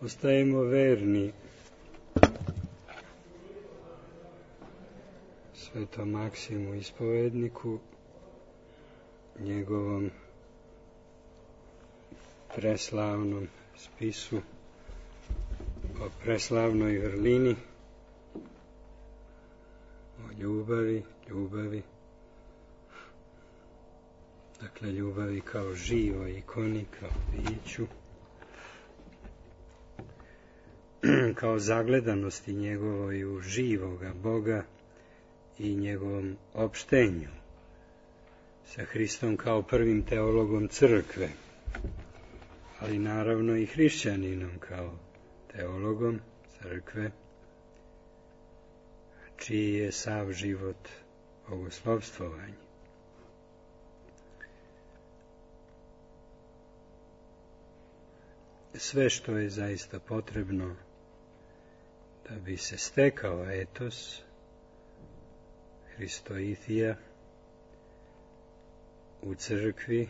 ostajemo verni Svetom Maksimu Ispovedniku, njegovom preslavnom spisu o preslavnoj vrlini, o ljubavi, dakle ljubavi kao živoj ikoni, kao biću, kao zagledanosti njegovoj u živoga Boga i njegovom opštenju sa Hristom kao prvim teologom crkve, ali naravno i hrišćaninom kao teologom crkve, čiji je sav život bogoslovstvovanje. Sve što je zaista potrebno da bi se stekao etos Hristoithija u crkvi,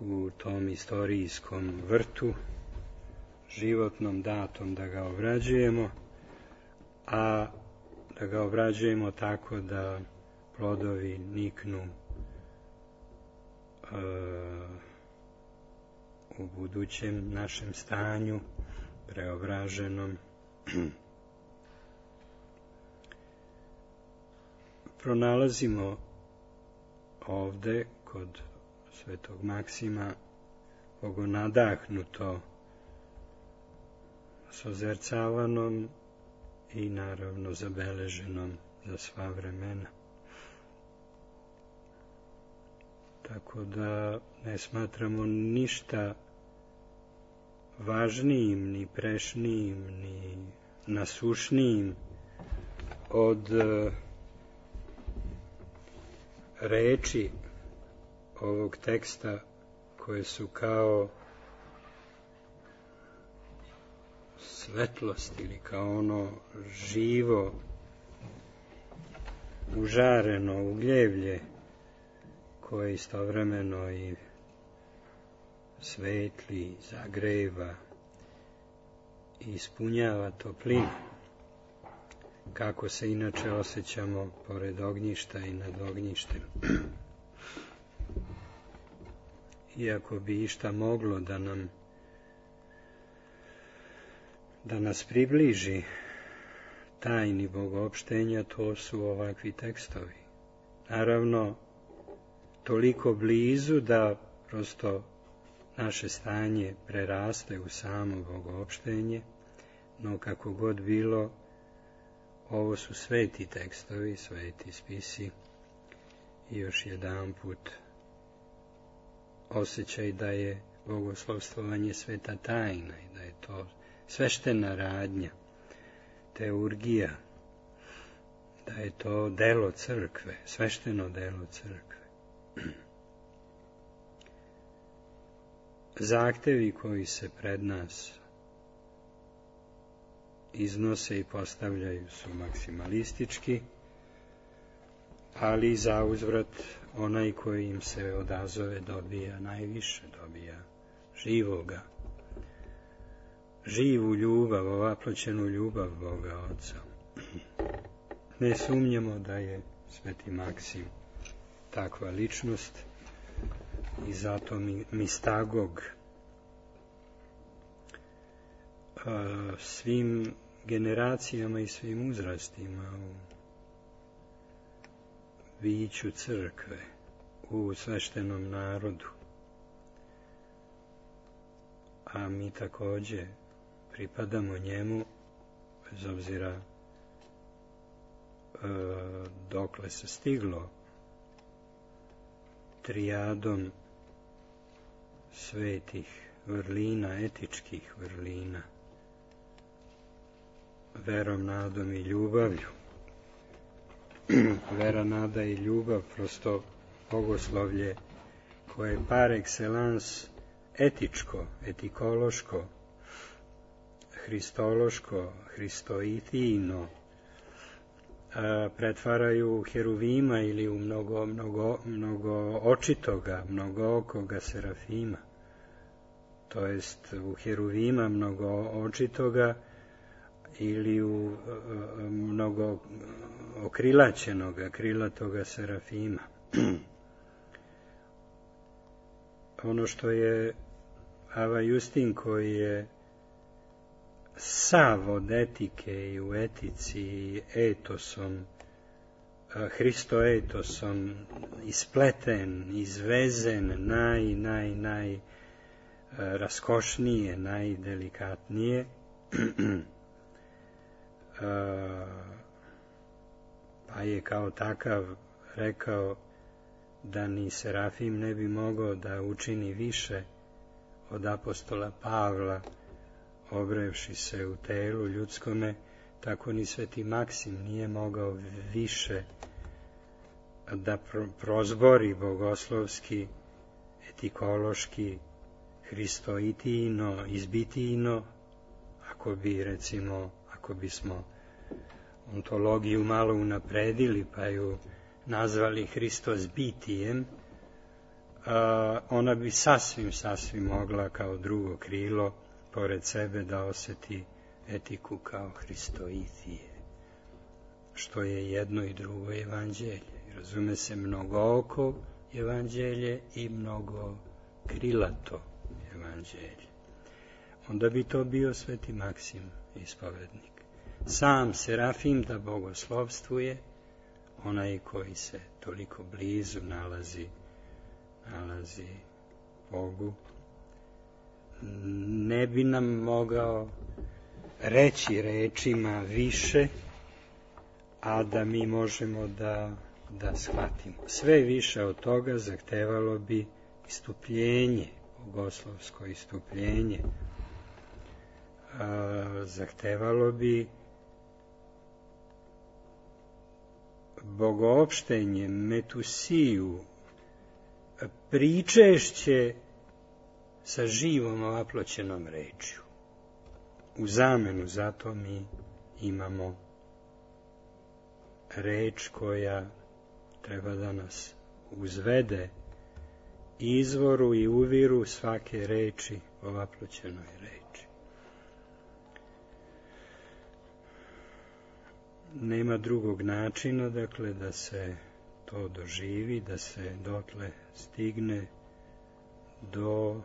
u tom istorijskom vrtu, životnom datom da ga obrađujemo, a da ga obrađujemo tako da plodovi niknu u budućem našem stanju, preobraženom. Pronalazimo ovde kod Svetog Maksima bogonadahnuto, sozercavanom i naravno zabeleženom za sva vremena. Tako da ne smatramo ništa važnijim, ni prešnijim, ni nasušnijim od reči ovog teksta, koje su kao svetlost ili kao ono živo, užareno ugljevlje koje istovremeno i svetli, zagreva i ispunjava toplinu, kako se inače osjećamo pored ognjišta i nad ognjištem. Iako bi išta moglo da nas približi tajni bogoopštenja, to su ovakvi tekstovi. Naravno, toliko blizu da prosto naše stanje preraste u samo bogoopštenje, no kako god bilo, ovo su sveti tekstovi, sveti spisi i još jedan put osjećaj da je bogoslovstvovanje sveta tajna i da je to sveštena radnja, teurgija, da je to delo crkve, svešteno delo crkve. Zahtevi koji se pred nas iznose i postavljaju su maksimalistički, ali za uzvrat onaj koji im se odazove dobija najviše, dobija živoga, živu ljubav, ovaploćenu ljubav Boga Oca. Ne sumnjamo da je Sveti Maksim takva ličnost i zato mistagog svim generacijama i svim uzrastima u biću crkve, u sveštenom narodu. A mi takođe pripadamo njemu, bez obzira dokle se stiglo trijadom svetih vrlina, etičkih vrlina, verom, nadom i ljubavlju. Vera, nada i ljubav, prosto bogoslovlje koje je par excellence etičko, etikološko, hristološko, hristoithijno, pretvaraju u heruvima ili u mnogo očitoga, mnogookoga serafima. to jest u heruvima mnogo očitoga ili u mnogo okrilaćenoga, krilatoga serafima. Ono što je Ava Justin, koji je sav od etike i u etici i etosom, Hristoetosom ispleten, izvezen, naj raskošnije, najdelikatnije, pa je kao takav rekao da ni Serafim ne bi mogao da učini više od apostola Pavla, obrevši se u telu ljudskome, tako ni Sveti Maksim nije mogao više da prozbori bogoslovski, etikološki, hristoitijno, izbitijno, ako bismo ontologiju malo unapredili pa ju nazvali Hristos bitijem, ona bi sasvim mogla kao drugo krilo pored sebe da osjeti etiku kao hristoitije, što je jedno i drugo evanđelje. Razume se mnogooko evanđelje i mnogo krilato evanđelje. Onda bi to bio Sveti Maksim ispovednik. Sam Serafim da bogoslovstvuje, onaj koji se toliko blizu nalazi Bogu, ne bi nam mogao reći rečima više, a da mi možemo da shvatimo. Sve više od toga zahtevalo bi istupljenje, bogoslovsko istupljenje, zahtevalo bi bogoopštenje, metusiju, pričešće sa živom ovaploćenom rečju. U zamenu za to mi imamo reč koja treba da nas uzvede izvoru i uviru svake reči, ovaploćenoj reči. Nema drugog načina, dakle, da se to doživi, da se dotle stigne do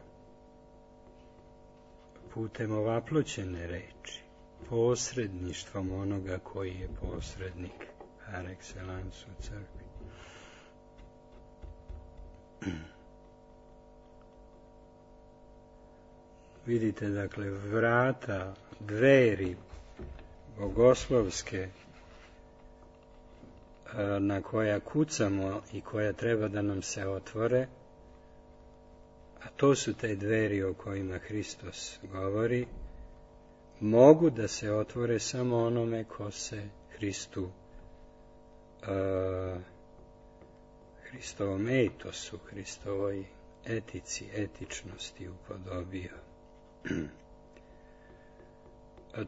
putem ovaploćene reči, posredništvom onoga koji je posrednik par excellence u crkvi. Vidite, dakle, vrata, dveri bogoslovske na koja kucamo i koja treba da nam se otvore, a to su te dveri o kojima Hristos govori, mogu da se otvore samo onome ko se Hristovom etosu, Hristovoj etici, etičnosti upodobio.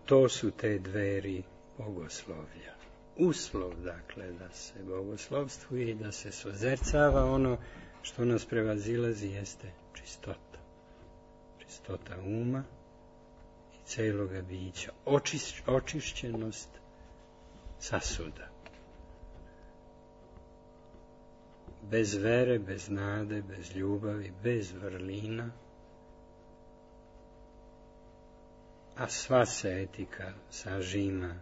To su te dveri bogoslovlja. Uslov, dakle, da se bogoslovstvuje i da se sozercava ono što nas prevazilazi jeste čistota. Čistota uma i celoga bića. Očišćenost sasuda. Bez vere, bez nade, bez ljubavi, bez vrlina, a sva se etika sažima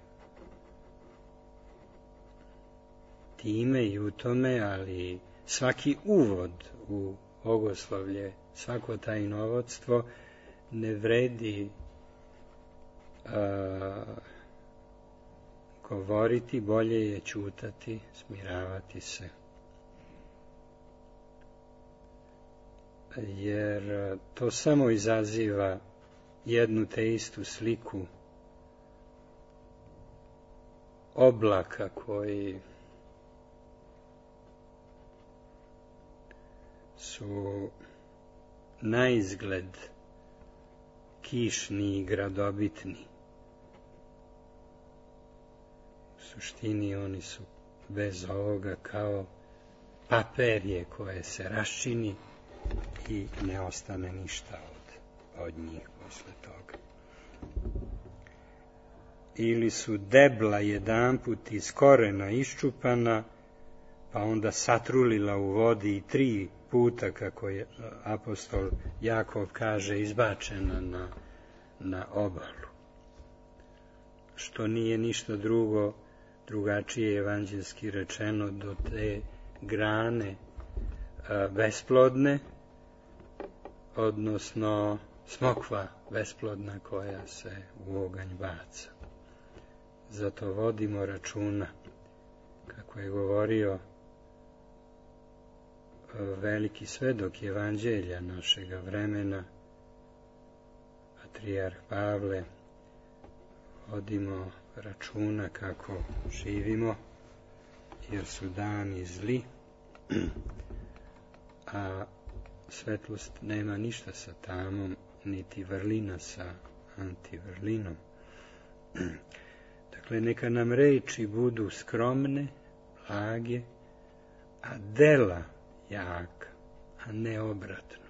time i u tome, ali svaki uvod u bogoslovlje, svako tajnovodstvo ne vredi govoriti, bolje je ćutati, smiravati se. Jer to samo izaziva jednu te istu sliku oblaka koji su na izgled kišni i gradobitni. U suštini oni su bez ovoga kao paperje koje se raščini i ne ostane ništa od njih posle toga. Ili su debla jedanput iz korena iščupana, pa onda satrulila u vodi i 3 puta, kako je apostol Jakov kaže, izbačena na obalu. Što nije ništa drugačije evanđelski rečeno do te grane besplodne, odnosno smokva besplodna koja se u oganj baca. Zato vodimo računa, kako je govorio veliki svedok evanđelja našega vremena, patrijarh Pavle, vodimo računa kako živimo, jer su dani zli, a svetlost nema ništa sa tamom, niti vrlina sa antivrlinom. Dakle, neka nam reči budu skromne, blage, a dela jaka, a ne obratno.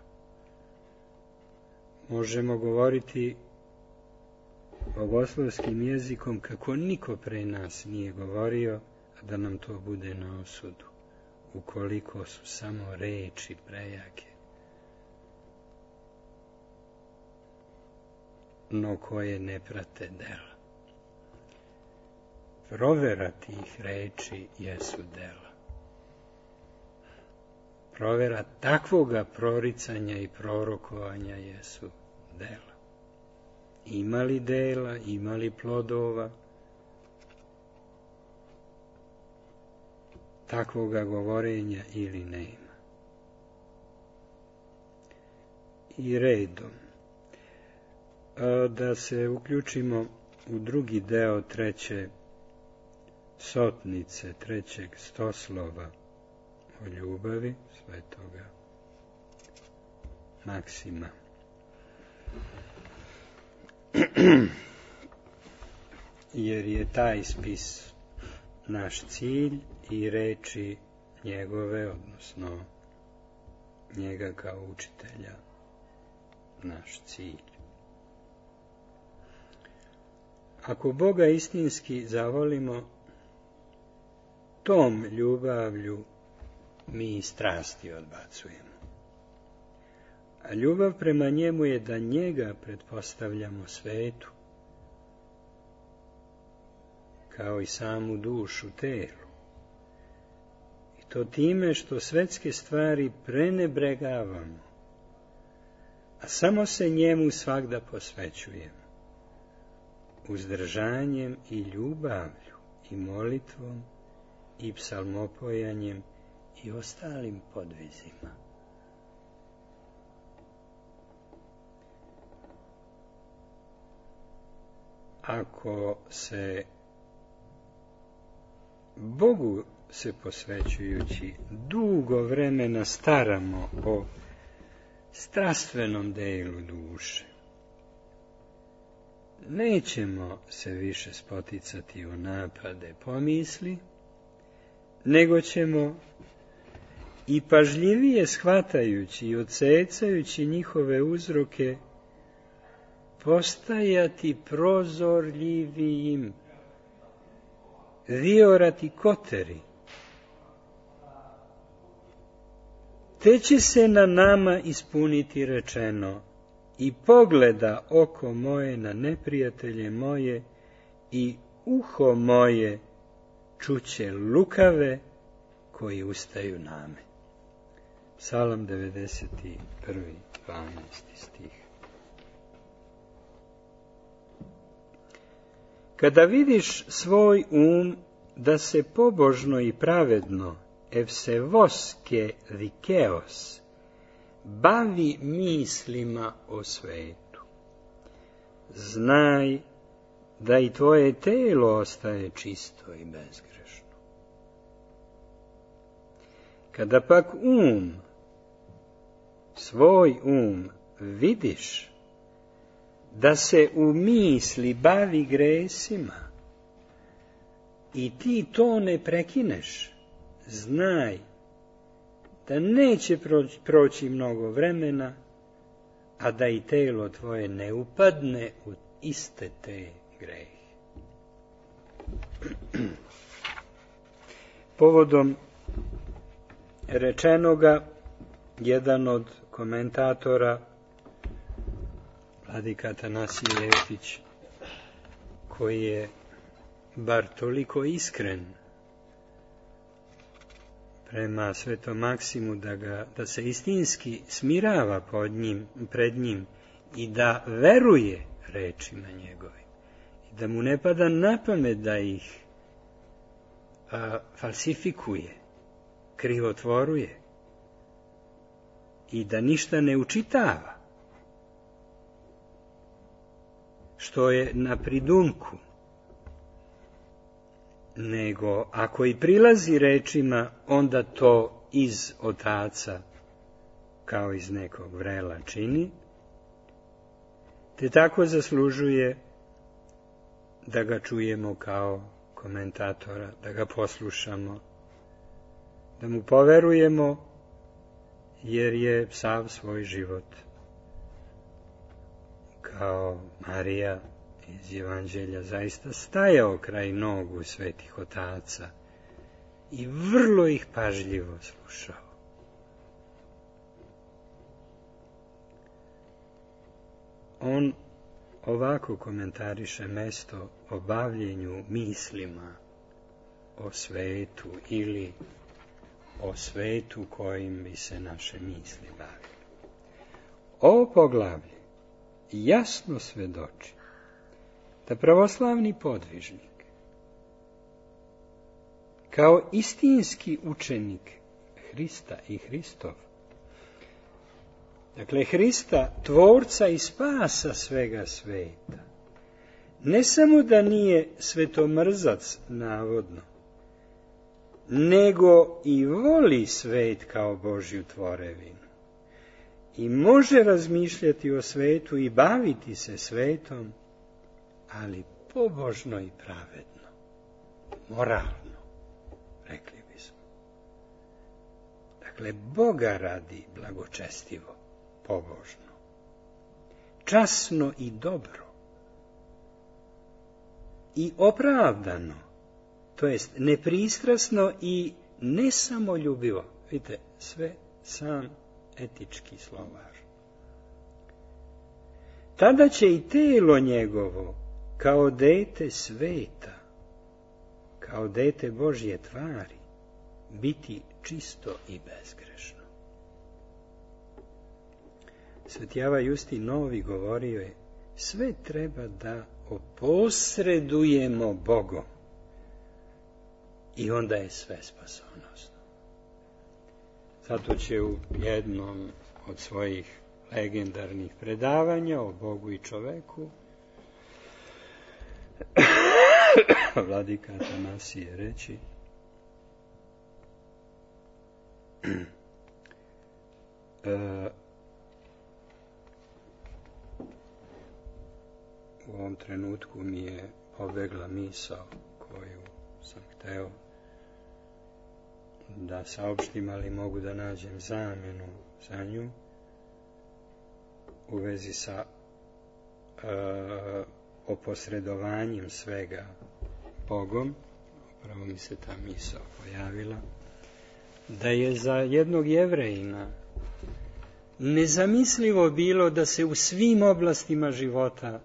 Možemo govoriti bogoslovskim jezikom kako niko pre nas nije govorio, a da nam to bude na osudu, ukoliko su samo reči prejake, no koje ne prate dela. Provera tih reči jesu dela. Provera takvoga proricanja i prorokovanja jesu dela. Ima li dela, ima li plodova takvoga govorenja ili nema. I redom. Da se uključimo u drugi deo 3. sotnice, 3. stoslova o ljubavi svetoga Maksima. Jer je taj spis naš cilj i reči njegove, odnosno njega kao učitelja, naš cilj. Ako Boga istinski zavolimo, tom ljubavlju mi strasti odbacujemo. A ljubav prema njemu je da njega pretpostavljamo svetu, kao i samu dušu telu. I to time što svetske stvari prenebregavamo, a samo se njemu svagda posvećujemo, uzdržanjem i ljubavlju i molitvom i psalmopojanjem i ostalim podvizima. Ako se Bogu se posvećujući dugo vremena staramo o strastvenom delu duše, nećemo se više spoticati u napade pomisli, nego ćemo i pažljivije shvatajući i odsecajući njihove uzroke postajati prozorljivijim, viorati koteri. Te će se na nama ispuniti rečeno: i pogleda oko moje na neprijatelje moje i uho moje čuće lukave koji ustaju na me. Psalam 91. 12. stih. Kada vidiš svoj da se pobožno i pravedno, evsevoske dikeos, bavi mislima o svetu, znaj da i tvoje telo ostaje čisto i bezgrešno. Kada pak svoj vidiš da se u misli bavi gresima i ti to ne prekineš, znaj da neće proći mnogo vremena, a da i telo tvoje ne upadne u iste te grehe. Povodom rečenoga, jedan od komentatora, vladika Atanasije Jeftić, koji je bar toliko iskren prema Svetom Maksimu da se istinski smirava pred njim i da veruje rečima njegovim i da mu ne pada na pamet da ih falsifikuje, krivotvoruje i da ništa ne učitava što je na pridumku, nego ako i prilazi rečima, onda to iz otaca kao iz nekog vrela čini, te tako zaslužuje da ga čujemo kao komentatora, da ga poslušamo, da mu poverujemo, jer je sav svoj život kao Marija iz Evanđelja zaista stajao kraj nogu svetih otaca i vrlo ih pažljivo slušao. On ovako komentariše mesto o bavljenju mislima o svetu ili o svetu kojim bi se naše misli bavili. Ovo poglavlje jasno svedoči da pravoslavni podvižnik, kao istinski učenik Hrista i Hristov, dakle Hrista, tvorca i spasa svega sveta, ne samo da nije svetomrzac navodno, nego i voli svet kao Božju tvorevinu i može razmišljati o svetu i baviti se svetom, ali pobožno i pravedno, moralno, rekli bismo. Dakle, Boga radi blagočestivo, pobožno, časno i dobro i opravdano, to jest nepristrasno i nesamoljubivo. Vidite, sve sam etički slovar. Tada će i telo njegovo, kao dete sveta, kao dete Božje tvari, biti čisto i bezgrešno. Sveti Ava Justin Novi govorio je, sve treba da oposredujemo Bogom i onda je sve spasonosno. Zato će u jednom od svojih legendarnih predavanja o Bogu i čoveku vladika Atanasije reći u ovom trenutku mi je pobegla misao koju sam hteo da saopštim, ali mogu da nađem zamenu za nju u vezi sa oposredovanjem svega Bogom. Upravo mi se ta misao pojavila, da je za jednog Jevrejina nezamislivo bilo da se u svim oblastima života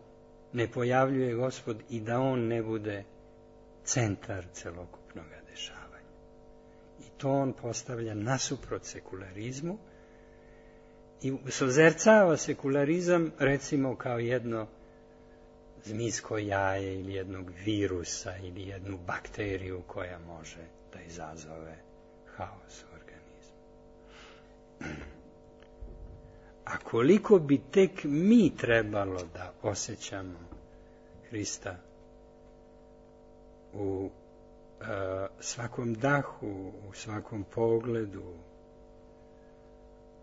ne pojavljuje Gospod i da on ne bude centar celokupnog dešavanja. I to on postavlja nasuprot sekularizmu i sozercava sekularizam recimo kao jedno zmijsko jaje ili jednog virusa ili jednu bakteriju koja može da izazove haos u organizmu. A koliko bi tek mi trebalo da osjećamo Hrista u svakom dahu, u svakom pogledu,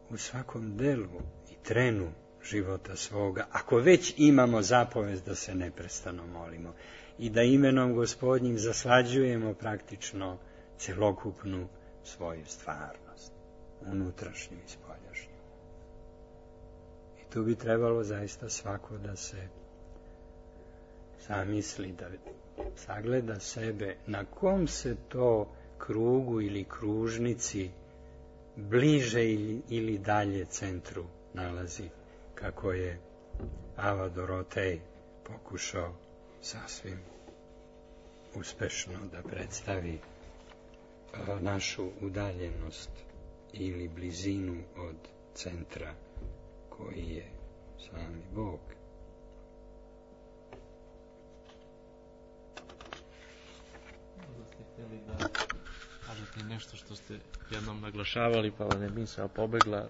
u svakom delu i trenu života svoga, ako već imamo zapovest da se neprestano molimo i da imenom Gospodnjim zaslađujemo praktično celokupnu svoju stvarnost, unutrašnju i spoljašnju. I I tu bi trebalo zaista svako da se zamisli, da sagleda sebe na kom se to krugu ili kružnici bliže ili dalje centru nalazi, kako je Ava Dorotej pokušao sasvim uspešno da predstavi našu udaljenost ili blizinu od centra koji je sami Bog. Htjeli da kažete nešto što ste jednom naglašavali, pa vam je misao pobegla,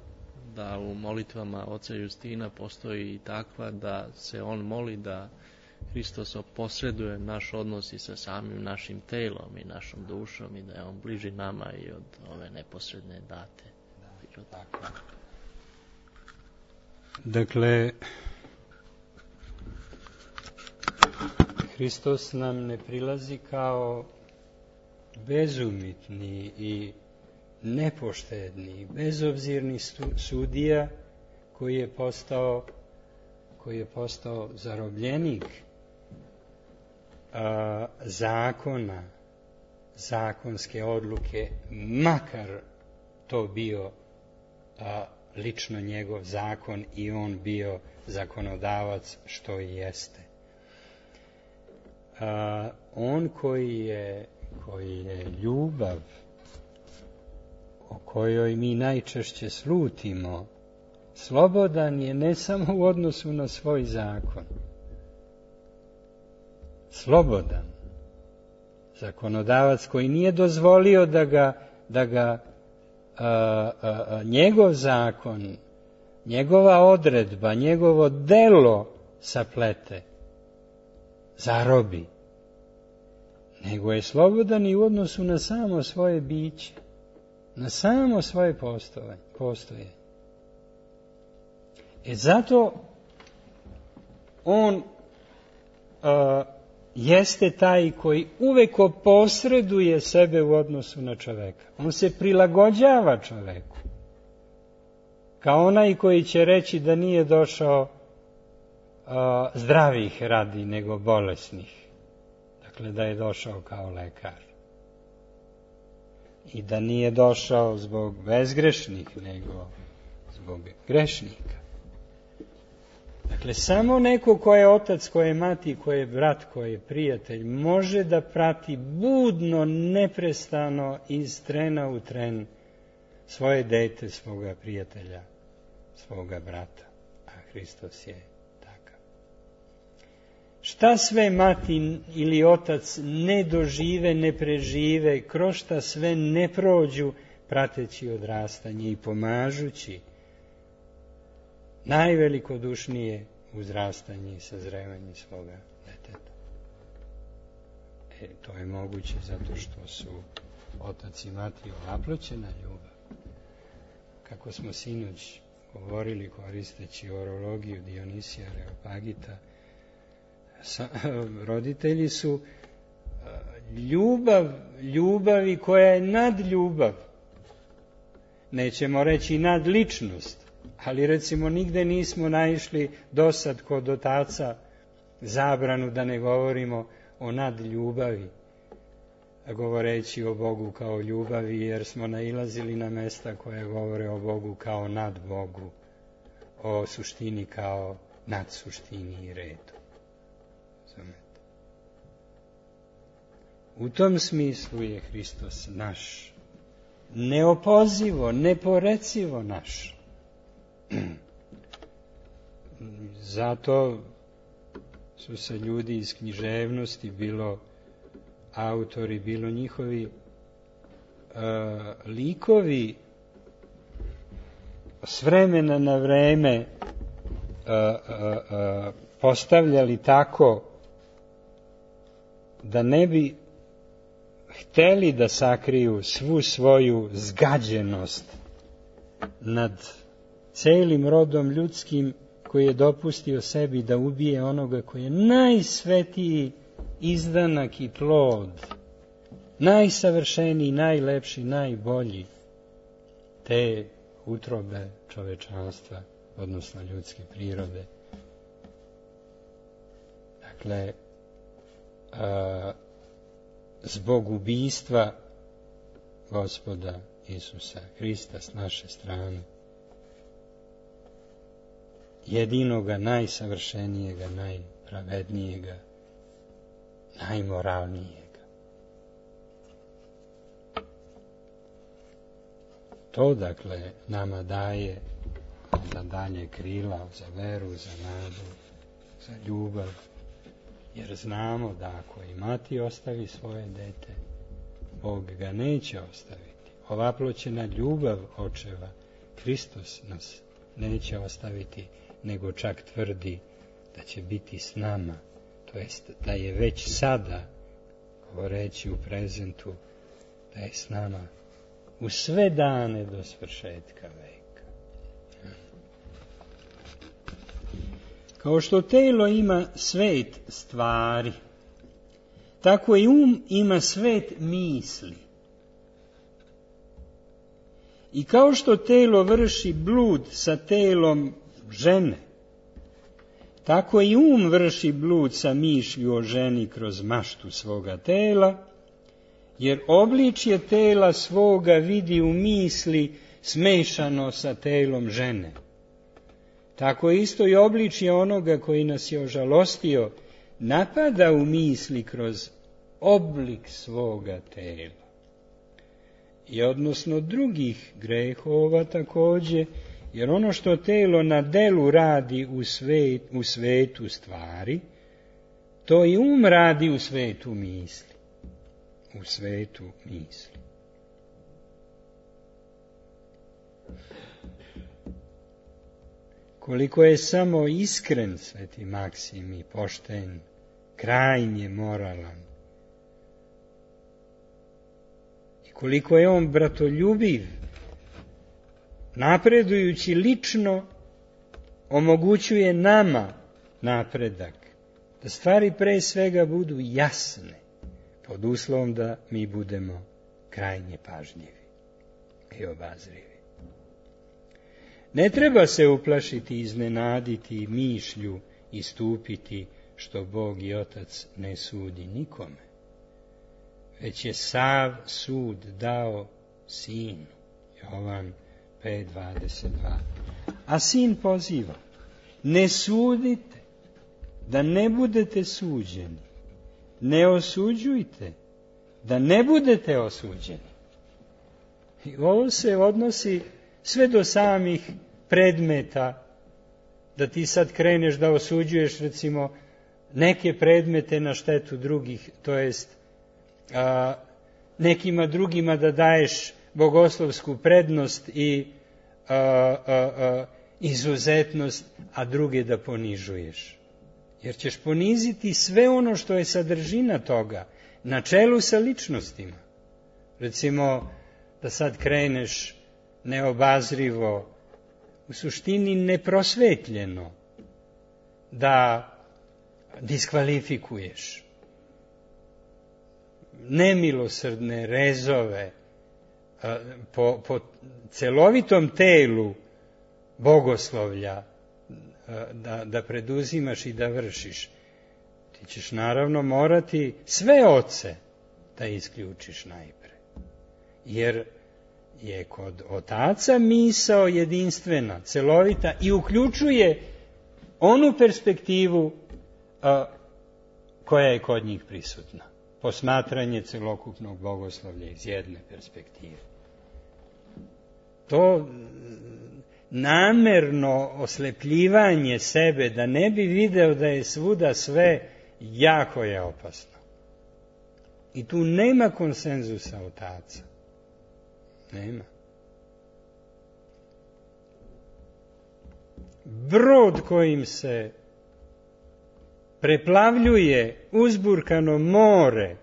da u molitvama oca Justina postoji i takva da se on moli da Hristos posreduje naš odnos i sa samim našim telom i našom dušom i da je on bliži nama i od ove neposredne date. Dakle, Hristos nam ne prilazi kao bezumitni i nepoštedni, bezobzirni sudija koji je postao zarobljenik zakona, zakonske odluke, makar to bio lično njegov zakon i on bio zakonodavac, što i jeste. On koji je ljubav, o kojoj mi najčešće slutimo, slobodan je ne samo u odnosu na svoj zakon. Slobodan. Zakonodavac koji nije dozvolio da ga njegov zakon, njegova odredba, njegovo delo saplete, zarobi. Nego je slobodan i u odnosu na samo svoje biće, na samo svoje postoje. Zato on jeste taj koji uvek posreduje sebe u odnosu na čoveka. On se prilagođava čoveku. Kao onaj koji će reći da nije došao zdravih radi, nego bolesnih. Dakle, da je došao kao lekar. I da nije došao zbog bezgrešnih, nego zbog grešnika. Dakle, samo neko ko je otac, ko je mati, ko je brat, ko je prijatelj, može da prati budno, neprestano, iz trena u tren svoje dete, svoga prijatelja, svoga brata. A Hristos je takav. Šta sve mati ili otac ne dožive, ne prežive, kroz šta sve ne prođu, prateći odrastanje i pomažući najvelikodušnije uzrastanje i sazrevanje svoga deteta. To je moguće zato što su otac i mati ovaploćena ljubav. Kako smo sinoć govorili koristeći orologiju Dionisija Areopagita, roditelji su ljubavi koja je nad ljubav. Nećemo reći nad ličnost, ali recimo nigde nismo naišli dosad kod otaca zabranu da ne govorimo o nadljubavi, govoreći o Bogu kao ljubavi, jer smo nailazili na mesta koje govore o Bogu kao nad Bogu, o suštini kao nad suštini i redu. U tom smislu je Hristos naš, neopozivo, neporecivo naš. Zato su se ljudi iz književnosti, bilo autori, bilo njihovi likovi, s vremena na vreme postavljali tako da ne bi hteli da sakriju svu svoju zgađenost nad celim rodom ljudskim, koji je dopustio sebi da ubije onoga koji je najsvetiji izdanak i plod, najsavršeniji, najlepši, najbolji te utrobe čovečanstva, odnosno ljudske prirode. Dakle, zbog ubijstva Gospoda Isusa Hrista s naše strane, jedinoga, najsavršenijega, najpravednijega, najmoralnijega. To, dakle, nama daje za dalje krila, za veru, za nadu, za ljubav, jer znamo da ako i mati ostavi svoje dete, Bog ga neće ostaviti. Ovaploćena ljubav očeva, Hristos nas neće ostaviti, nego čak tvrdi da će biti s nama, to jest da je već sada, govoreći u prezentu, da je s nama u sve dane do svršetka veka. Kao što telo ima svet stvari, tako i ima svet misli. I kao što telo vrši blud sa telom žene, tako i vrši blud sa mišlju o ženi kroz maštu svoga tela, jer obličje tela svoga vidi u misli smešano sa telom žene. Tako isto i obličje onoga koji nas je ožalostio napada u misli kroz oblik svoga tela. I odnosno drugih grehova takođe, jer ono što telo na delu radi u svetu stvari, to i radi u svetu misli. U svetu misli. Koliko je samo iskren sveti Maksim i pošten, krajnje moralan, i koliko je on bratoljubiv, napredujući lično, omogućuje nama napredak, da stvari pre svega budu jasne, pod uslovom da mi budemo krajnje pažljivi i obazrivi. Ne treba se uplašiti, iznenaditi, mišlju istupiti, što Bog i Otac ne sudi nikome, već je sav sud dao Sinu. Jovan 5:22. A Sin poziva: ne sudite, da ne budete suđeni. Ne osuđujte, da ne budete osuđeni. I ovo se odnosi sve do samih predmeta, da ti sad kreneš da osuđuješ, recimo, neke predmete na štetu drugih, to jest nekima drugima da daješ bogoslovsku prednost i izuzetnost, a druge da ponižuješ. Jer ćeš poniziti sve ono što je sadržina toga, na čelu sa ličnostima. Recimo, da sad kreneš neobazrivo, u suštini neprosvetljeno, da diskvalifikuješ nemilosrdne rezove po celovitom telu bogoslovlja da preduzimaš i da vršiš. Ti ćeš naravno morati sve oce da isključiš najpre. Jer je kod otaca misao jedinstvena, celovita i uključuje onu perspektivu koja je kod njih prisutna. Posmatranje celokupnog bogoslovlja iz jedne perspektive. To namerno oslepljivanje sebe da ne bi video da je svuda sve, jako je opasno. I tu nema konsenzusa otaca. Nema. Brod kojim se preplavljuje uzburkano more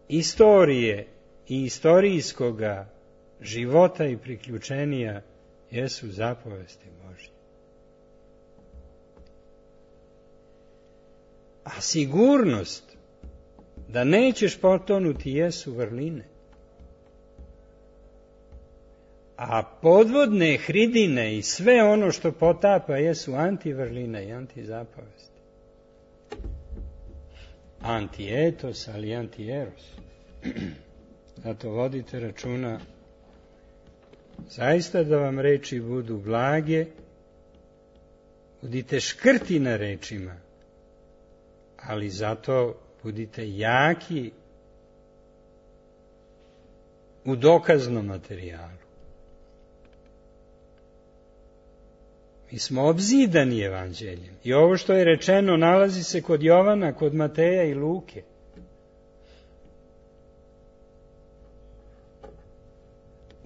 istorije i istorijskoga života i priključenija jesu zapovesti Božje. A sigurnost da nećeš potonuti jesu vrline. A podvodne hridine i sve ono što potapa jesu antivrline i antizapavesti. Antietos, ali antieros. Zato vodite računa zaista da vam reči budu blage, budite škrti na rečima, ali zato budite jaki u dokaznom materijalu. Mi smo obzidani evanđeljem i ovo što je rečeno nalazi se kod Jovana, kod Mateja i Luke.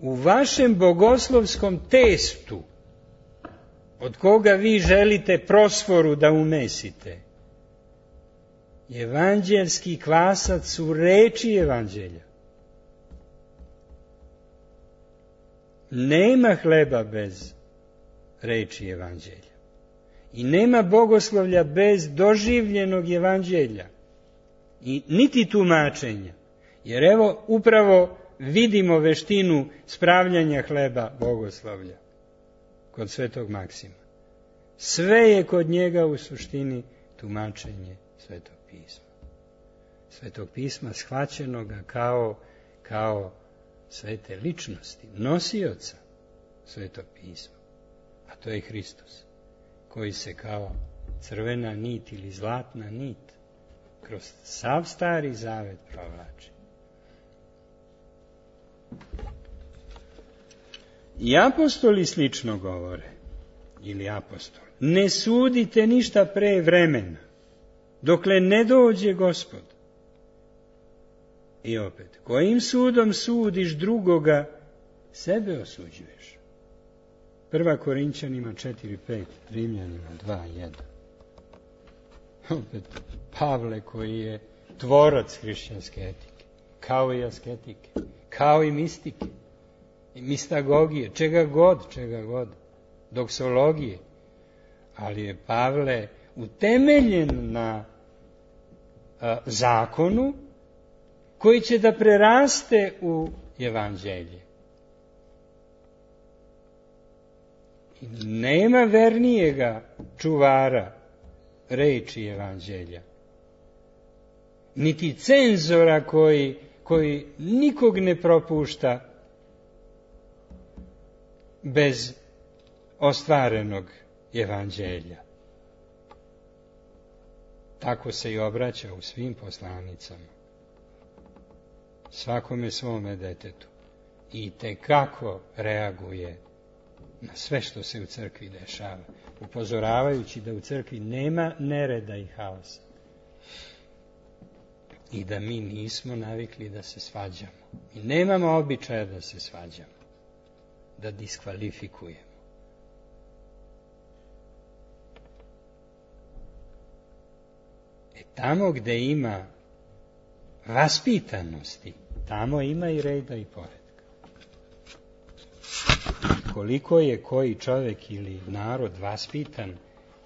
U vašem bogoslovskom testu, od koga vi želite prosforu da umesite, evanđelski kvasac su reči evanđelja. Nema hleba bez reči evanđelja. I nema bogoslovlja bez doživljenog evanđelja. I niti tumačenja. Jer evo upravo vidimo veštinu spravljanja hleba bogoslovlja kod Svetog Maksima. Sve je kod njega u suštini tumačenje Svetog pisma. Svetog pisma shvaćenoga kao svete ličnosti, nosioca Svetog pisma. A to je Hristos, koji se kao crvena nit ili zlatna nit kroz sav Stari Zavet provlači. I apostoli slično govore, ili apostoli, ne sudite ništa pre vremena, dokle ne dođe Gospod. I opet, kojim sudom sudiš drugoga, sebe osuđuješ. 1. Korinćanima 4.5, Rimljanima 2.1. Opet, Pavle koji je tvorac hrišćanske etike, kao i asketike, kao i mistike, i mistagogije, čega god, doksologije. Ali je Pavle utemeljen na zakonu koji će da preraste u evanđelje. I nema vernijega čuvara reči evanđelja, niti cenzora koji nikog ne propušta bez ostvarenog evanđelja. Tako se i obraća u svim poslanicama, svakome svome detetu, i tekako reaguje na sve što se u crkvi dešava, upozoravajući da u crkvi nema nereda i haosa i da mi nismo navikli da se svađamo i nemamo običaja da se svađamo, da diskvalifikujemo. Tamo gde ima vaspitanosti, tamo ima i reda i poretka. Koliko je koji čovjek ili narod vaspitan,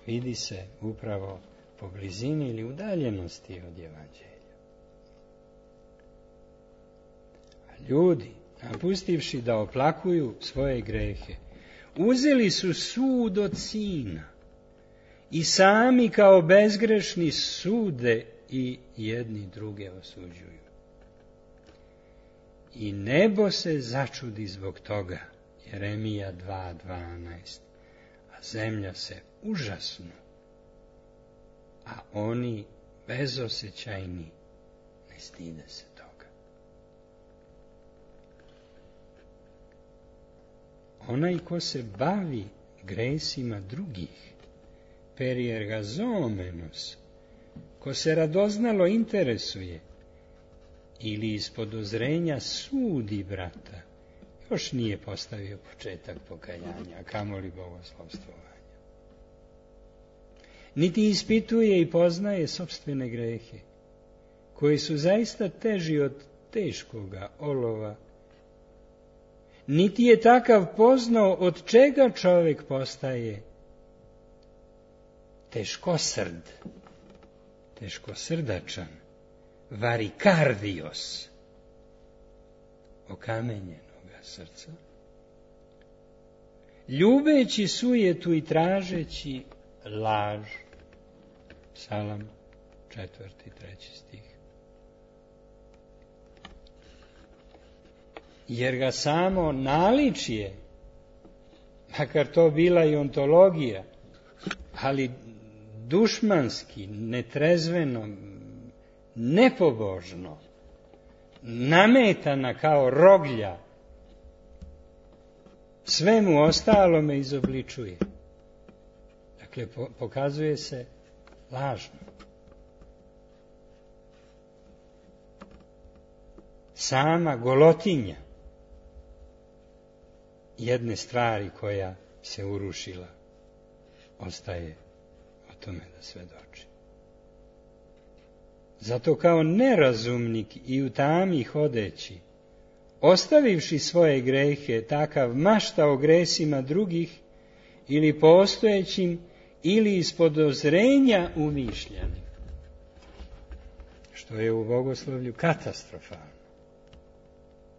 vidi se upravo po blizini ili udaljenosti od evanđelja. A ljudi, napustivši da oplakuju svoje grehe, uzeli su sud od sina i sami kao bezgrešni sude i jedni druge osuđuju. I nebo se začudi zbog toga, Jeremija 2.12, a zemlja se užasnu, a oni bezosećajni ne stide se toga. Onaj ko se bavi gresima drugih, per ergazomenos, ko se radoznalo interesuje ili iz podozrenja sudi brata, još nije postavio početak pokajanja, a kamoli bogoslovstvovanja. Niti ispituje i poznaje sopstvene grehe, koji su zaista teži od teškoga olova, niti je takav poznao od čega čovjek postaje teškosrdačan, varikardios, okamenjenoga srca, ljubeći sujetu i tražeći laž. Psalam 4. 3. stih. Jer ga samo naličje, makar to bila i ontologija, ali dušmanski, netrezveno, nepobožno, nametana kao roglja, svemu ostalome izobličuje. Dakle, pokazuje se lažno. Sama golotinja jedne stvari koja se urušila ostaje o tome da svedoči. Zato kao nerazumnik i u tami hodeći, ostavivši svoje grehe, takav mašta o gresima drugih ili postojećim ili iz podozrenja umišljanim, što je u bogoslovlju katastrofalno.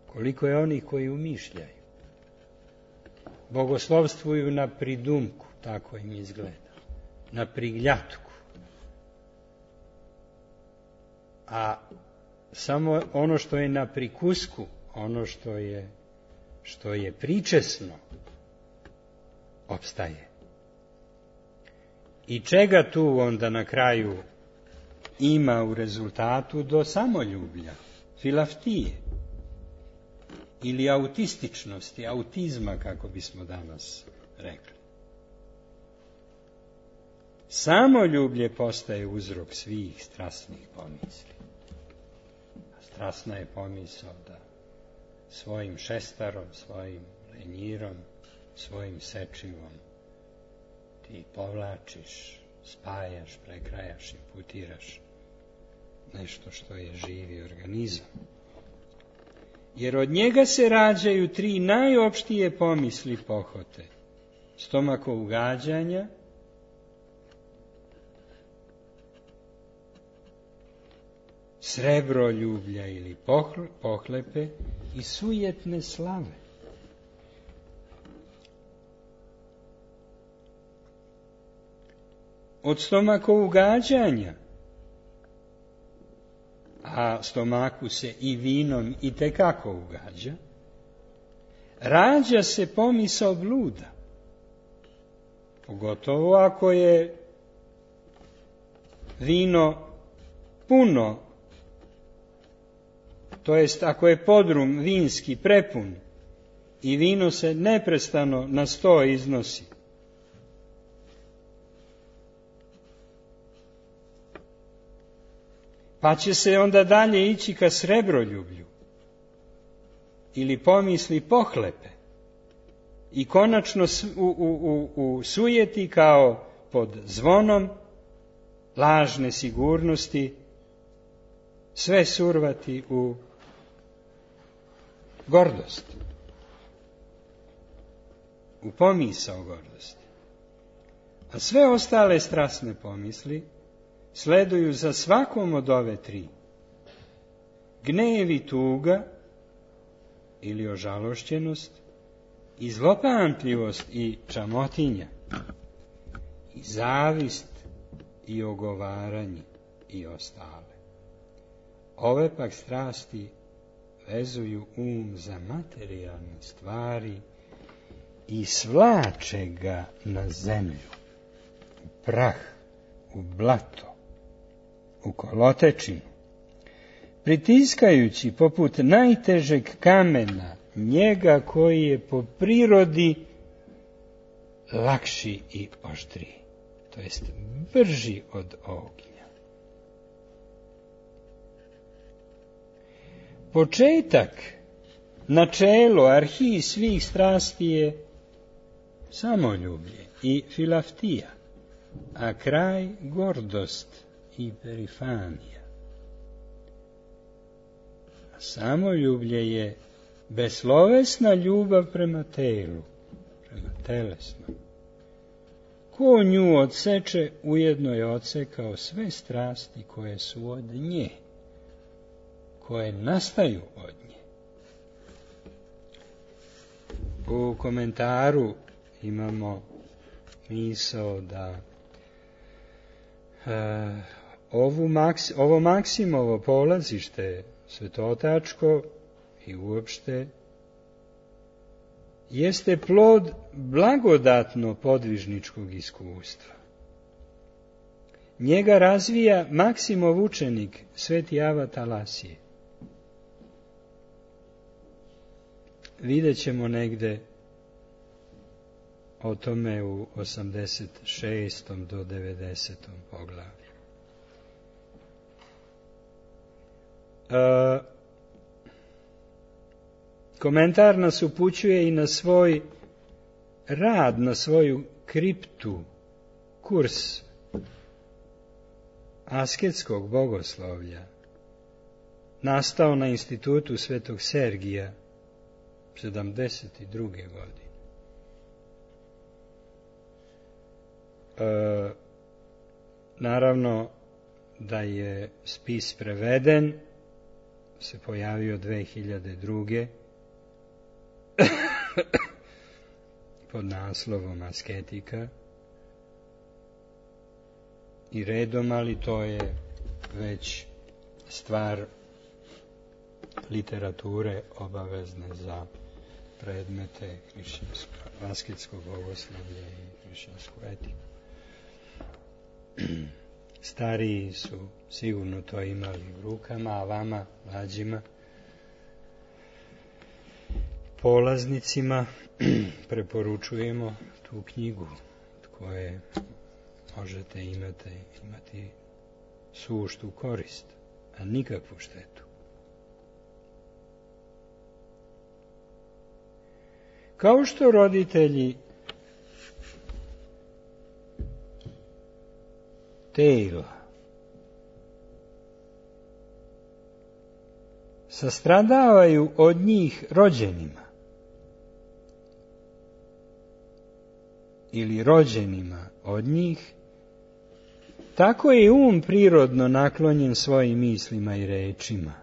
Koliko je onih koji umišljaju, bogoslovstvuju na pridumku, tako im izgleda, na prigljatku. A samo ono što je na prikusku, ono što je pričesno, opstaje. I čega tu onda na kraju ima u rezultatu? Do samoljublja, filaftije, ili autističnosti, autizma, kako bismo danas rekli. Samoljublje postaje uzrok svih strasnih pomisli. Strasna je pomisao da svojim šestarom, svojim lenjirom, svojim sečivom ti povlačiš, spajaš, prekrajaš, imputiraš nešto što je živi organizam. Jer od njega se rađaju 3 najopštije pomisli pohote. Stomakougađanja, srebroljublja ili pohlepe i sujetne slave. Od stomakougađanja, a stomaku se i vinom itekako ugađa, rađa se pomisao bluda. Pogotovo ako je vino puno, to jest ako je podrum vinski prepun i vino se neprestano na 100 iznosi. Pa će se onda dalje ići ka srebroljublju ili pomisli pohlepe i konačno u sujeti kao pod zvonom lažne sigurnosti sve survati u gordost, u pomisao gordosti. A sve ostale strasne pomisli sleduju za svakom od ove 3. Gnev i tuga ili ožalošćenost, i zlopamtljivost i čamotinja, i zavist i ogovaranje i ostale. Ove pak strasti vezuju za materijalne stvari i svlače ga na zemlju, u prah, u blato, u kolotečinu, pritiskajući poput najtežeg kamena njega koji je po prirodi lakši i oštriji, to jest brži od ognja. Početak, načelo, arhij svih strasti je samoljublje i filaftija, a kraj gordost i perifanija. A samoljublje je beslovesna ljubav prema telu, prema telesnom. Ko nju odseče, ujedno je odsekao sve strasti koje su od nje, koje nastaju od nje. U komentaru imamo misao da ovo Maksimovo polazište svetotačko i uopšte jeste plod blagodatno podvižničkog iskustva. Njega razvija Maksimov učenik, sveti Ava Talasije. Vidjet ćemo negde o tome u 86. do 90. poglavlju. Komentar nas upućuje i na svoj rad, na svoju kriptu, kurs asketskog bogoslovlja, nastao na institutu Svetog Sergija 72. godine. Naravno da je spis preveden, se pojavio 2002. pod naslovom Asketika i redom, ali to je već stvar literature obavezne za predmete asketskog bogoslovlja i hrišćansku etiku. Stariji su sigurno to imali u rukama, a vama, mlađima, polaznicima, preporučujemo tu knjigu koje možete imati suštu korist, a nikakvu štetu. Kao što roditelji tela sastradavaju od njih rođenima ili rođenima od njih, tako je prirodno naklonjen svojim mislima i rečima.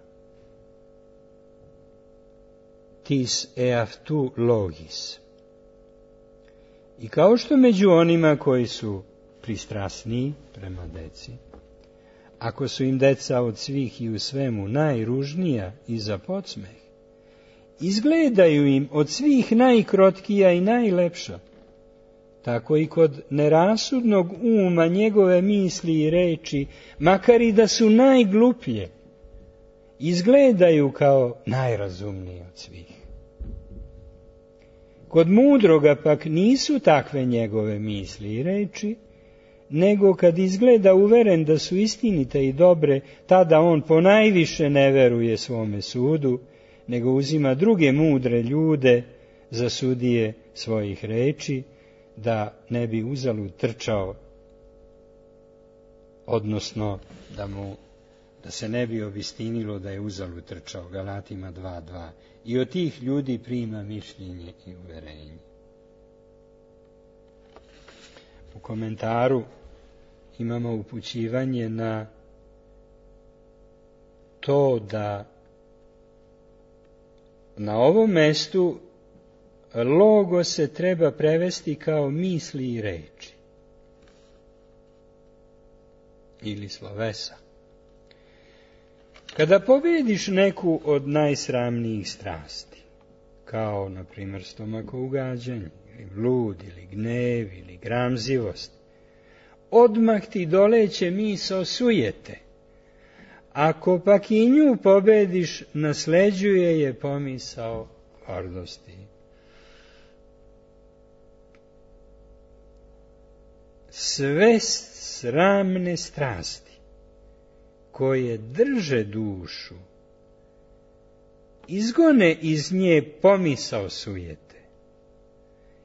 Tis eaftu logis. I kao što među onima koji su pristrasniji prema deci, ako su im deca od svih i u svemu najružnija i za podsmeh, izgledaju im od svih najkrotkija i najlepša, tako i kod nerasudnog uma njegove misli i reči, makar i da su najgluplje, izgledaju kao najrazumniji od svih. Kod mudroga pak nisu takve njegove misli i reči, nego kad izgleda uveren da su istinite i dobre, tada on ponajviše ne veruje svome sudu, nego uzima druge mudre ljude za sudije svojih reči, da ne bi uzalud trčao, odnosno da se ne bi obistinilo da je uzalud trčao, Galatima 2.2. I od tih ljudi prima mišljenje i uverenje. U komentaru imamo upućivanje na to da na ovom mestu logo se treba prevesti kao misli i reči ili slovesa. Kada pobjediš neku od najsramnijih strasti, kao na primjer stomakougađanje, ili blud, ili gnev, ili gramzivost, odmah ti doleće misao sujete. Ako pak i nju pobjediš, nasleđuje je pomisao gordosti. Sve sramne strasti koje drže dušu, izgone iz nje pomisao sujete.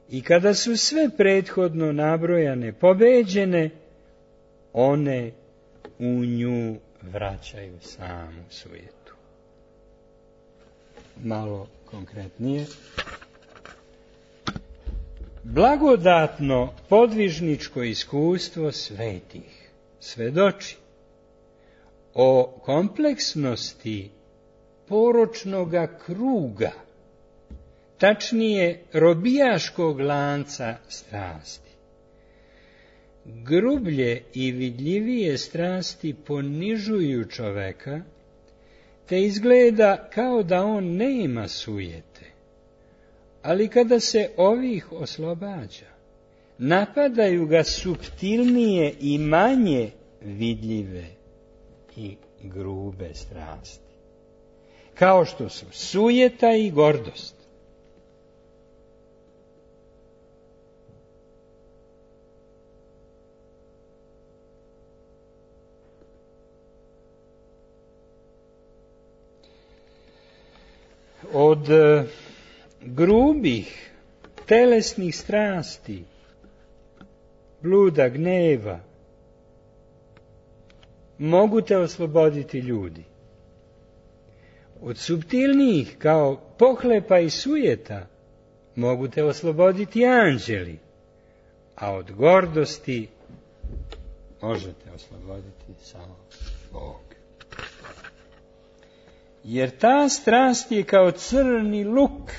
I kada su sve prethodno nabrojane pobeđene, one u nju vraćaju samu sujetu. Malo konkretnije. Blagodatno podvižničko iskustvo svetih svedoči o kompleksnosti poročnoga kruga, tačnije robijaškog lanca strasti. Grublje i vidljivije strasti ponižuju čoveka, te izgleda kao da on nema sujete. Ali kada se ovih oslobađa, napadaju ga suptilnije i manje vidljive i grube strasti, kao što su sujeta i gordost. Od grubih telesnih strasti, bluda, gneva, mogu te osloboditi ljudi. Od suptilnijih, kao pohlepa i sujeta, mogu te osloboditi anđeli, a od gordosti možete osloboditi samo Bog. Jer ta strast je kao crni luk.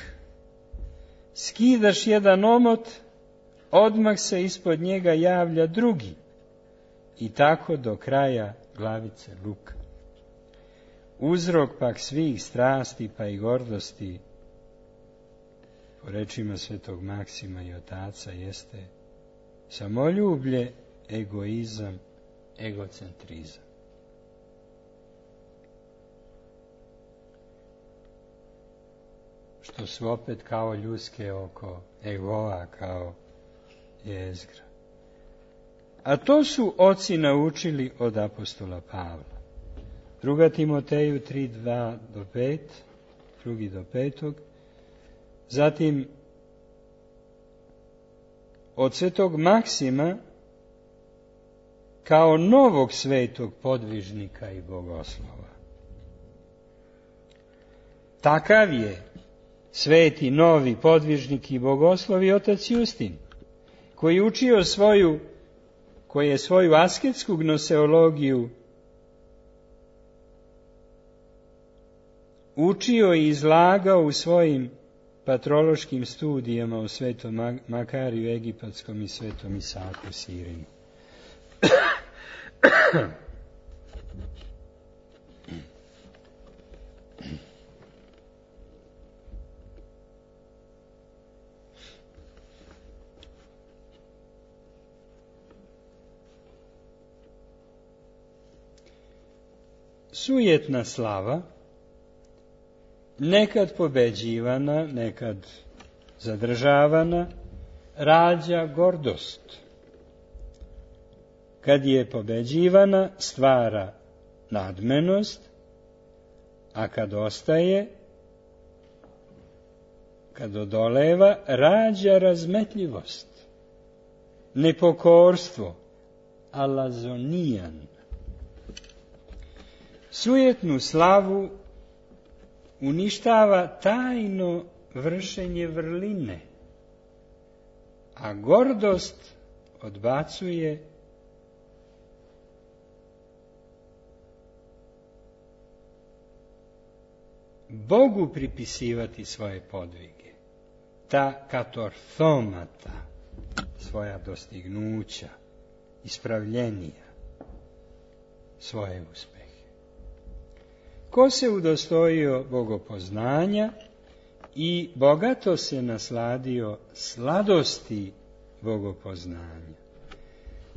Skidaš jedan omot, odmah se ispod njega javlja drugi. I tako do kraja glavice luka. Uzrok pak svih strasti pa i gordosti, po rečima svetog Maksima i otaca, jeste samoljublje, egoizam, egocentrizam. Što su opet kao ljuske oko egoa, kao jezgra. A to su oci naučili od apostola Pavla. 2. Timoteju 3:2-5, 2-5. Zatim od svetog Maksima kao novog svetog podvižnika i bogoslova. Takav je sveti novi podvižnik i bogoslov i otac Justin, koji je svoju asketsku gnoseologiju učio i izlagao u svojim patrološkim studijama u svetom Makariju Egipatskom i svetom Isaku Sirinu. Sujetna slava, nekad pobeđivana, nekad zadržavana, rađa gordost. Kad je pobeđivana, stvara nadmenost, a kad ostaje, kad odoleva, rađa razmetljivost, nepokorstvo, alazonijan. Sujetnu slavu uništava tajno vršenje vrline, a gordost odbacuje Bogu pripisivati svoje podvige, ta katorthomata, svoja dostignuća, ispravljenija, svoje uspehe. Ko se udostojio bogopoznanja i bogato se nasladio sladosti bogopoznanja,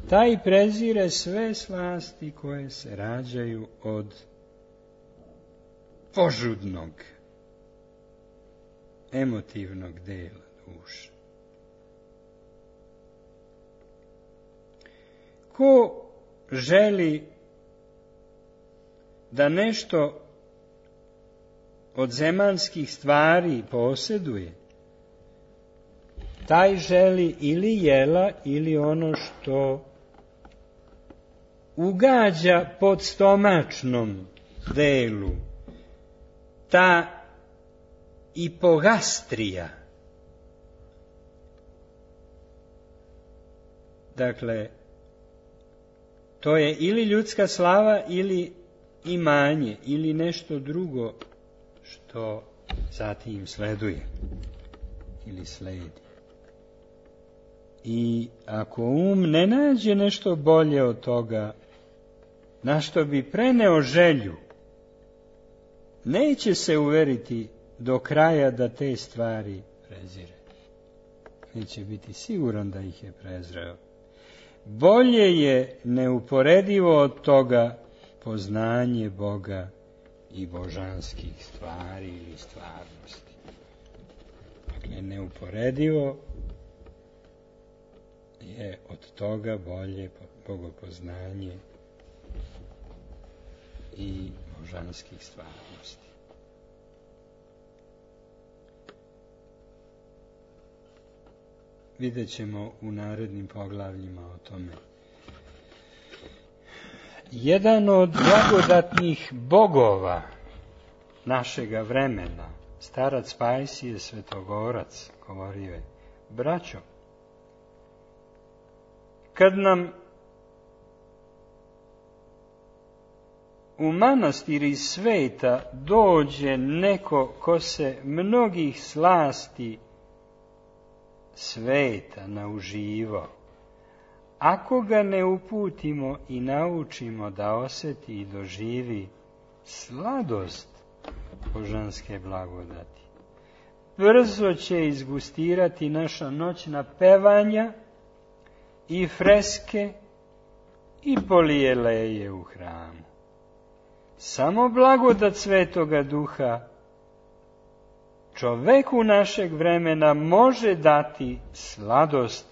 taj prezire sve slasti koje se rađaju od požudnog, emotivnog dela duše. Ko želi da nešto od zemaljskih stvari posjeduje, taj želi ili jela ili ono što ugađa pod stomačnom delu, ta ipogastrija. Dakle, to je ili ljudska slava ili imanje ili nešto drugo što zatim sleduje. ili slijedi. I ako ne nađe nešto bolje od toga, na što bi preneo želju, neće se uveriti do kraja da te stvari prezire. Neće biti siguran da ih je prezreo. Bolje je neuporedivo od toga poznanje Boga i božanskih stvari ili stvarnosti. Dakle, neuporedivo je od toga bolje bogopoznanje i božanskih stvarnosti. Vidjet ćemo u narednim poglavljima o tome. Jedan od blagodatnih bogova našega vremena, starac Pajsije Svetogorac, govorio je: braćo, kad nam u manastir iz sveta dođe neko ko se mnogih slasti sveta nauživao, ako ga ne uputimo i naučimo da osjeti i doživi sladost božanske blagodati, brzo će izgustirati naša noćna pevanja i freske i polijeleje u hramu. Samo blagodat Svetoga Duha čoveku našeg vremena može dati sladost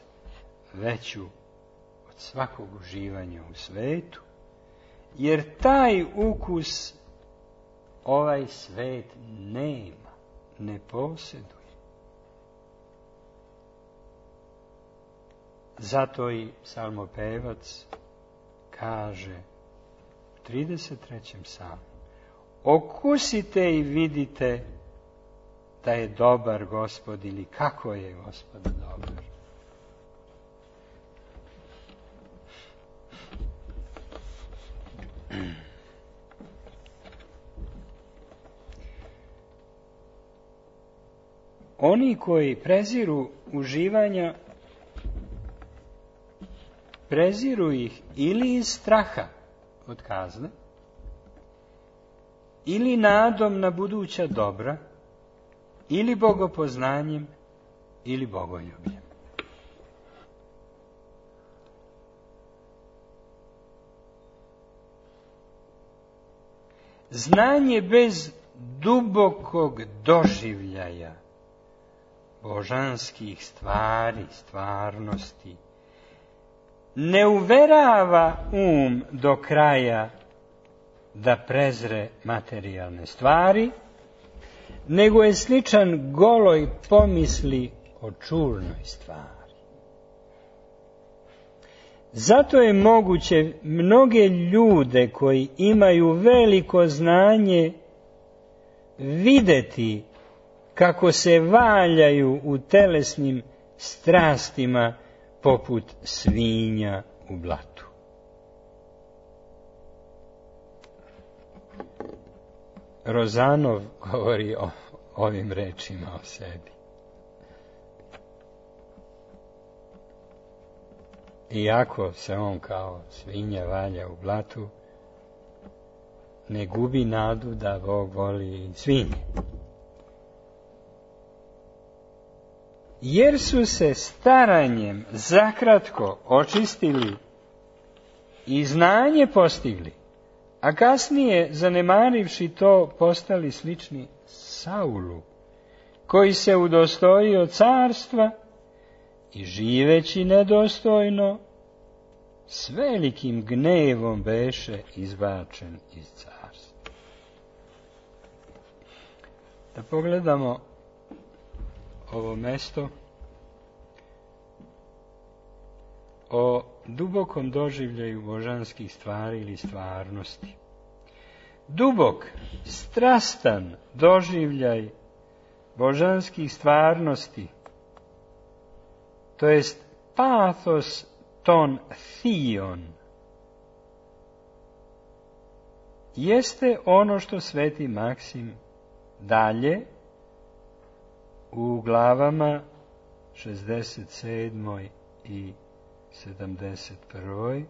veću od svakog uživanja u svetu, jer taj ukus ovaj svet nema, ne posjeduje. Zato i psalmopevac kaže u 33. psalmu: okusite i vidite da je dobar Gospod, ili kako je Gospod dobar. Oni koji preziru uživanja, preziru ih ili iz straha od kazne, ili nadom na buduća dobra, ili bogopoznanjem, ili bogoljubljem. Znanje bez dubokog doživljaja božanskih stvari, stvarnosti, ne uverava do kraja da prezre materijalne stvari, nego je sličan goloj pomisli o čurnoj stvari. Zato je moguće mnoge ljude koji imaju veliko znanje videti kako se valjaju u telesnim strastima poput svinja u blatu. Rozanov govori o ovim rečima o sebi. Iako se on kao svinja valja u blatu, ne gubi nadu da Bog voli svinje. Jer su se staranjem zakratko očistili i znanje postigli, a kasnije, zanemarivši to, postali slični Saulu, koji se udostojio carstva i živeći nedostojno, s velikim gnevom beše izbačen iz carstva. Da pogledamo ovo mesto o dubokom doživljaju božanskih stvari ili stvarnosti. Dubok, strastan doživljaj božanskih stvarnosti, to jest pathos ton thion, jeste ono što sveti Maksim dalje u glavama 67. i 71.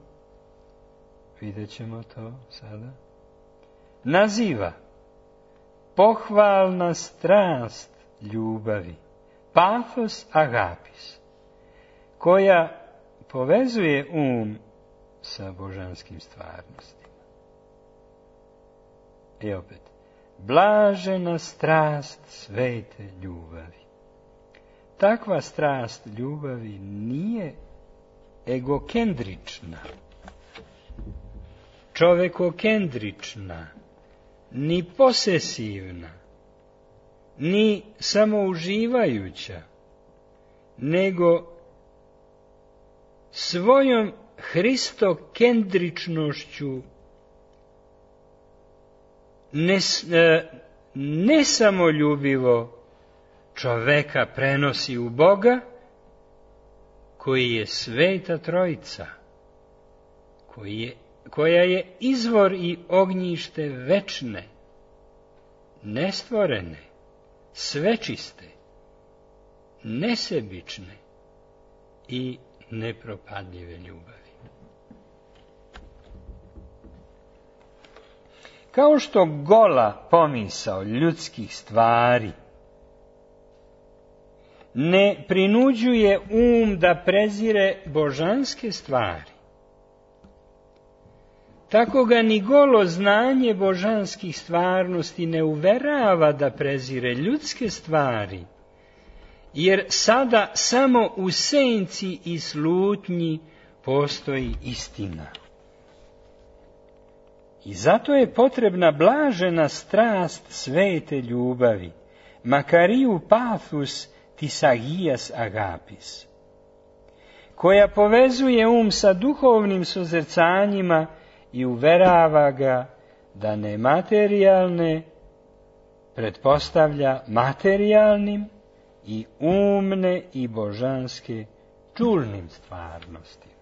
vidjet ćemo to sada, naziva pohvalna strast ljubavi, pathos agapis, koja povezuje sa božanskim stvarnostima. I opet, blažena strast svete ljubavi. Takva strast ljubavi nije egokendrična, čovekokendrična, ni posesivna, ni samouživajuća, nego svojom hristokendričnošću ne samoljubivo čoveka prenosi u Boga, koji je Sveta Trojica, koja je izvor i ognjište večne, nestvorene, svečiste, nesebične i nepropadljive ljubavi. Kao što gola pomisao ljudskih stvari ne prinuđuje da prezire božanske stvari, tako ga ni golo znanje božanskih stvarnosti ne uverava da prezire ljudske stvari, jer sada samo u senci i slutnji postoji istina. I zato je potrebna blažena strast svete ljubavi, makariu pathus tisagias agapis, koja povezuje sa duhovnim sozercanjima i uverava ga da nematerijalne pretpostavlja materijalnim i umne i božanske čulnim stvarnostima.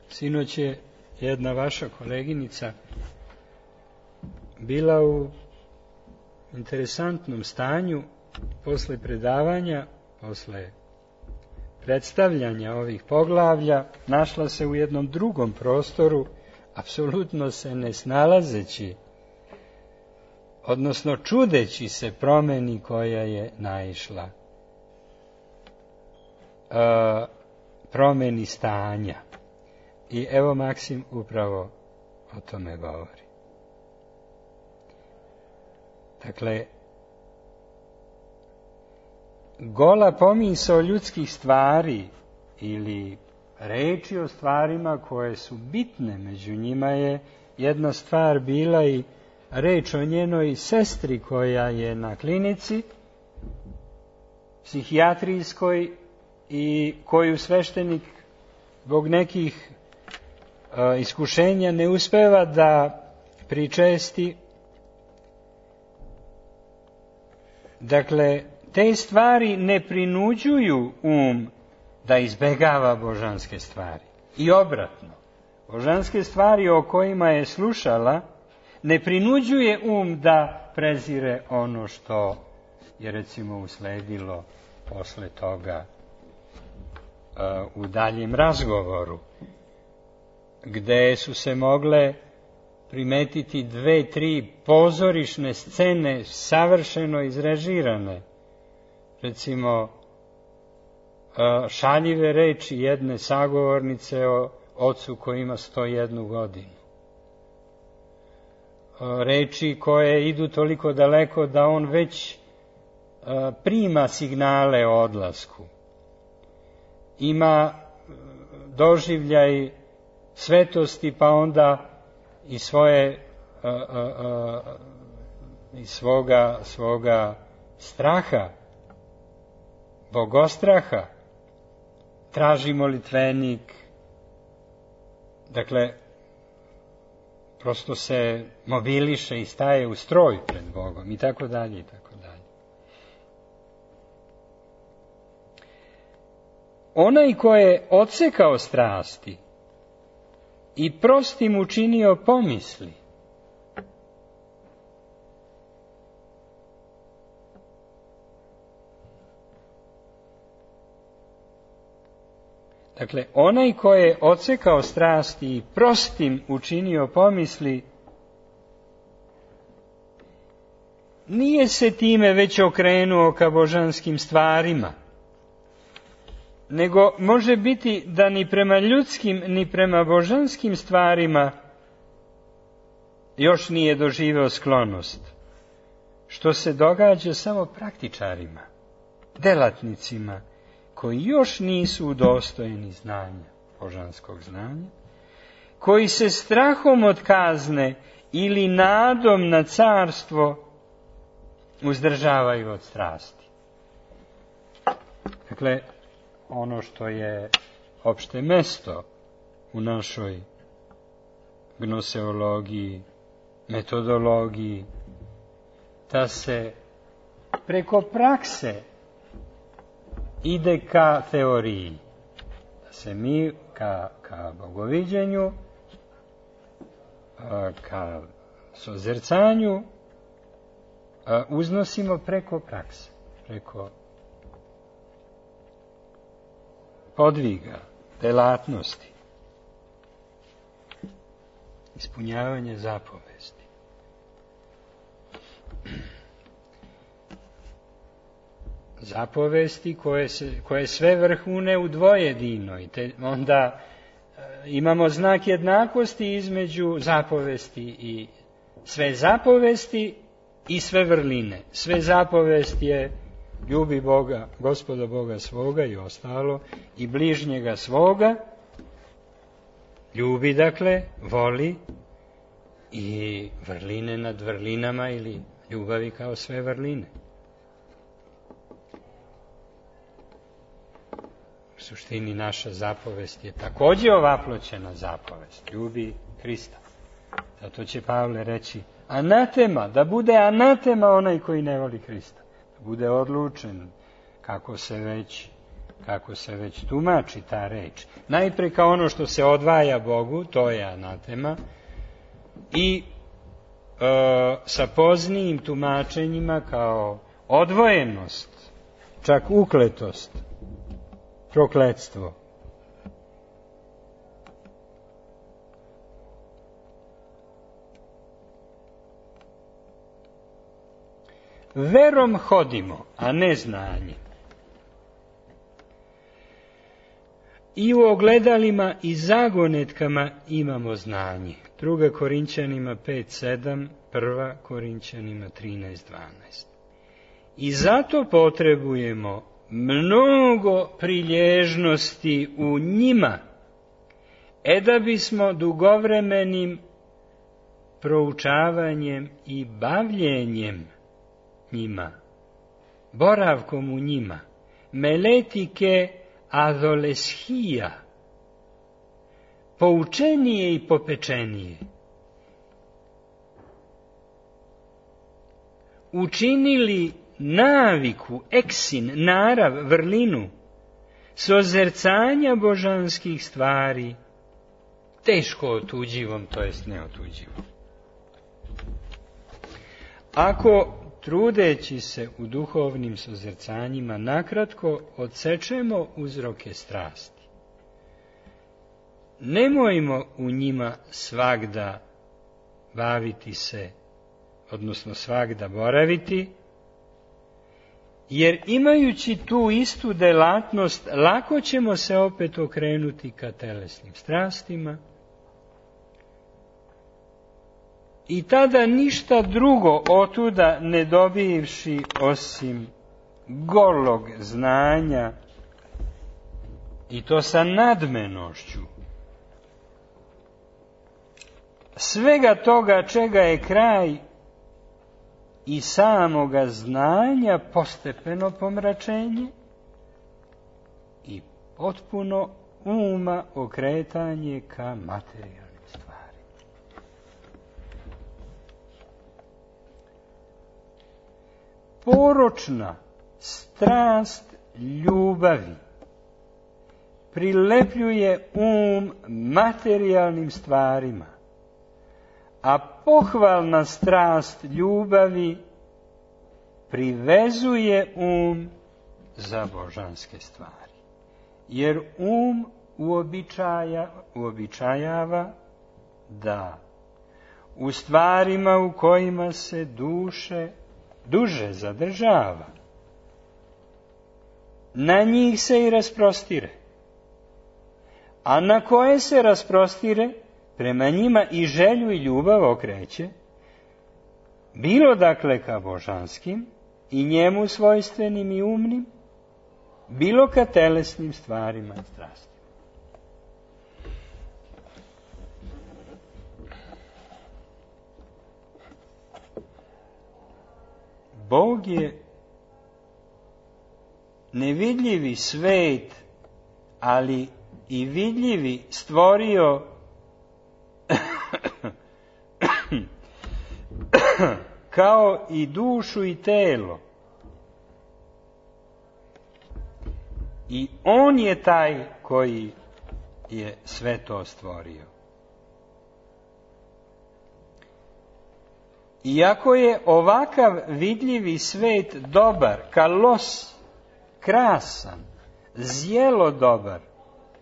Sinoć je jedna vaša koleginica bila u interesantnom stanju posle predavanja, posle predstavljanja ovih poglavlja, našla se u jednom drugom prostoru, apsolutno se ne snalazeći, odnosno čudeći se promeni koja je naišla, promeni stanja. I evo Maksim upravo o tome govori. Dakle, gola pomisao ljudskih stvari ili reči o stvarima koje su bitne, među njima je jedna stvar bila i reč o njenoj sestri koja je na klinici psihijatrijskoj i koju sveštenik zbog nekih iskušenja ne uspeva da pričesti. Dakle, te stvari ne prinuđuju da izbegava božanske stvari. I obratno, božanske stvari o kojima je slušala ne prinuđuje da prezire ono što je recimo usledilo posle toga u daljem razgovoru, gde su se mogle primetiti 2-3 pozorišne scene savršeno izrežirane. Recimo, šaljive reči jedne sagovornice o ocu koji ima 101 godinu. Reči koje idu toliko daleko da on već prima signale o odlasku. Ima doživljaj svetosti, pa onda i svoga straha, bogostraha, traži molitvenik. Dakle, prosto se mobiliše i staje u stroj pred Bogom i tako dalje i tako dalje. Onaj ko je odsekao strasti i prostim učinio pomisli, Dakle, onaj ko je odsekao strasti i prostim učinio pomisli, nije se time već okrenuo ka božanskim stvarima, nego može biti da ni prema ljudskim, ni prema božanskim stvarima još nije doživeo sklonost, što se događa samo praktičarima, delatnicima, koji još nisu udostojeni znanja, božanskog znanja, koji se strahom od kazne ili nadom na carstvo uzdržavaju od strasti. Dakle, ono što je opšte mesto u našoj gnoseologiji, metodologiji, da se preko prakse ide ka teoriji, da se mi ka bogoviđenju, ka sozercanju uznosimo preko prakse, preko podviga, delatnosti, ispunjavanje zapovesti. Zapovesti koje sve vrhune u dvojedinoj, te onda imamo znak jednakosti između zapovesti i sve zapovesti i sve vrline. Sve zapovesti je ljubi Boga, Gospoda Boga svoga i ostalo, i bližnjega svoga, ljubi, dakle, voli, i vrline nad vrlinama ili ljubavi kao sve vrline. U suštini naša zapovest je takođe ovaploćena zapovest, ljubi Hrista. Zato će Pavle reći, anatema, da bude anatema onaj koji ne voli Hrista. Da bude odlučen, kako se već tumači ta reč. Najpre kao ono što se odvaja Bogu, to je anatema, i sa poznijim tumačenjima kao odvojenost, čak ukletost, prokletstvo. Verom hodimo, a ne znanjem. I u ogledalima i zagonetkama imamo znanje. 2. Korinćanima 5:7, 1. Korinćanima 13:12. I zato potrebujemo mnogo prilježnosti u njima, da bismo dugovremenim proučavanjem i bavljenjem njima, boravkom u njima, meletike adoleshija, poučenije i popečenije, učinili naviku, eksin, narav, vrlinu, sozercanja božanskih stvari, teško otuđivom, to jest neotuđivom. Ako, trudeći se u duhovnim sozercanjima, nakratko odsečemo uzroke strasti, nemojmo u njima svagda baviti se, odnosno svagda boraviti, jer imajući tu istu delatnost, lako ćemo se opet okrenuti ka telesnim strastima i tada ništa drugo otuda ne dobivši osim golog znanja, i to sa nadmenošću, svega toga čega je kraj i samoga znanja postepeno pomračenje i potpuno uma okretanje ka materijalnim stvarima. Poročna strast ljubavi prilepljuje materijalnim stvarima, a pohvalna strast ljubavi privezuje za božanske stvari. Jer uobičajava da u stvarima u kojima se duže zadržava, na njih se i rasprostire, a na koje se rasprostire, prema njima i želju i ljubav okreće, bilo dakle ka božanskim i njemu svojstvenim i umnim, bilo ka telesnim stvarima i strastima. Bog je nevidljivi svet, ali i vidljivi stvorio kao i dušu i telo. I on je taj koji je sve to stvorio. Iako je ovakav vidljivi svet dobar, kalos, krasan, zjelo dobar,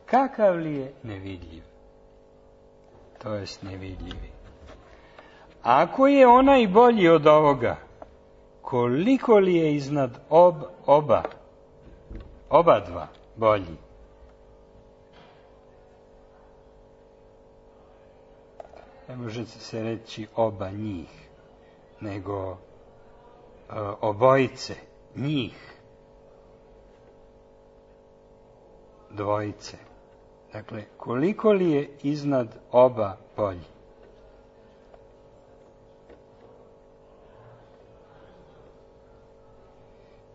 kakav li je nevidljiv? To jest nevidljivi. Ako je onaj bolji od ovoga, koliko li je iznad oba dva bolji? Ne može se reći oba njih, nego obojice, njih, dvojice. Dakle, koliko li je iznad oba bolji?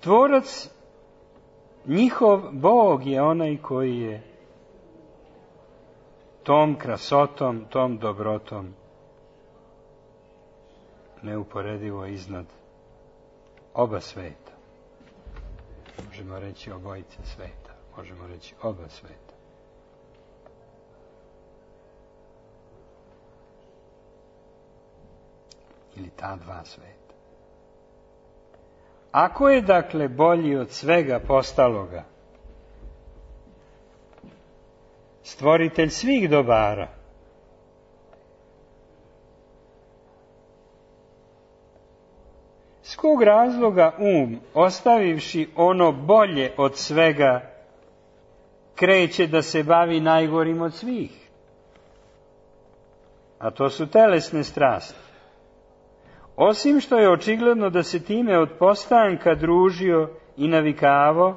Tvorac, njihov Bog je onaj koji je tom krasotom, tom dobrotom neuporedivo iznad oba sveta. Možemo reći obojice sveta, možemo reći oba sveta. Ili ta dva sveta. Ako je dakle bolji od svega postaloga, stvoritelj svih dobara, s kog razloga ostavivši ono bolje od svega, kreće da se bavi najgorim od svih? A to su telesne strasti. Osim što je očigledno da se time od postanka družio i navikavao,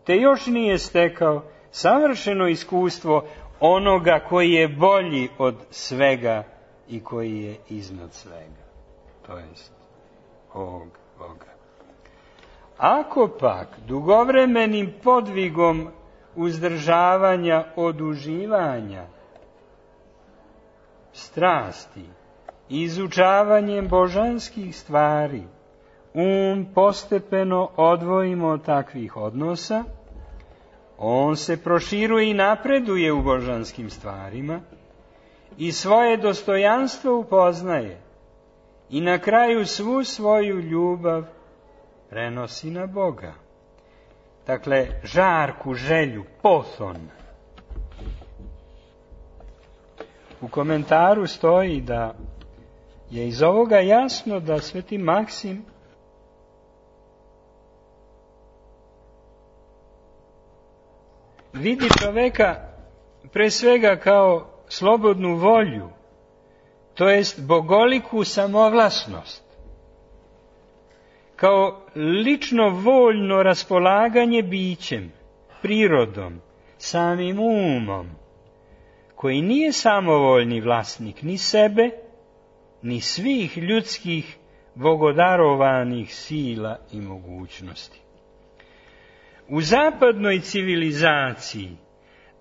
te još nije stekao savršeno iskustvo onoga koji je bolji od svega i koji je iznad svega, to jest ovog Boga. Ako pak dugovremenim podvigom uzdržavanja od uživanja strasti, izučavanjem božanskih stvari, postepeno odvojimo od takvih odnosa, on se proširuje i napreduje u božanskim stvarima i svoje dostojanstvo upoznaje i na kraju svu svoju ljubav prenosi na Boga. Dakle, žarku, želju, pothon. U komentaru stoji da je iz ovoga jasno da Sveti Maksim vidi čoveka pre svega kao slobodnu volju, to jest bogoliku samovlasnost, kao lično voljno raspolaganje bićem, prirodom, samim umom, koji nije samovoljni vlasnik ni sebe, ni svih ljudskih bogodarovanih sila i mogućnosti. U zapadnoj civilizaciji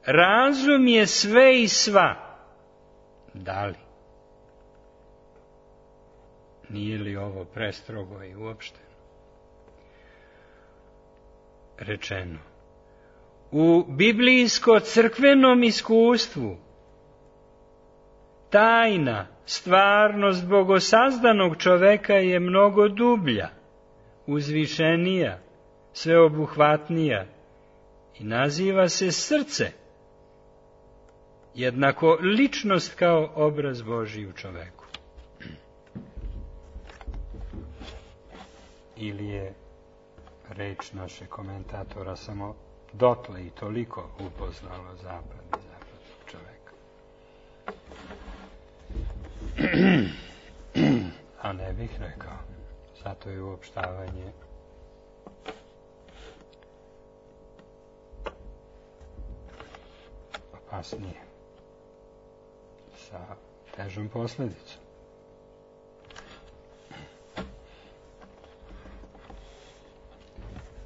razum je sve i sva. Da li? Nije li ovo prestrogo i uopšteno rečeno? U biblijsko-crkvenom iskustvu tajna, stvarnost bogosazdanog čoveka je mnogo dublja, uzvišenija, sveobuhvatnija i naziva se srce, jednako ličnost kao obraz Božji u čoveku. Ili je reč naše komentatora samo dotle i toliko upoznalo zapad i zapadnog čoveka. A ne bih rekao, zato je uopštavanje opasnije, sa težom posledicom.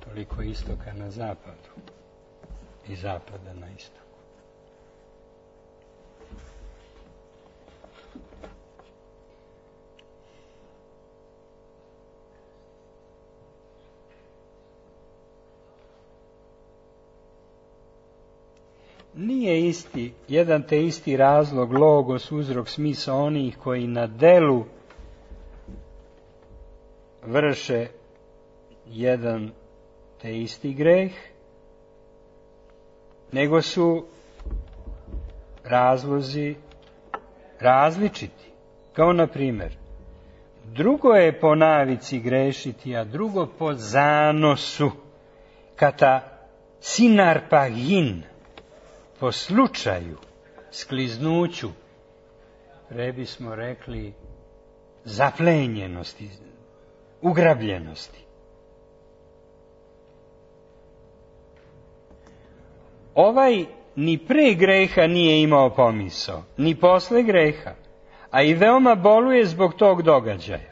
Toliko istoka na zapadu i zapada na istoku. Nije isti, jedan te isti razlog, logos, uzrok, smisao onih koji na delu vrše jedan te isti greh, nego su razlozi različiti. Kao na primjer, drugo je po navici grešiti, a drugo po zanosu, kata sinarpagin, po slučaju, skliznuću, pre bismo rekli zaplenjenosti, ugrabljenosti. Ovaj ni pre greha nije imao pomisao, ni posle greha, a i veoma boluje zbog tog događaja.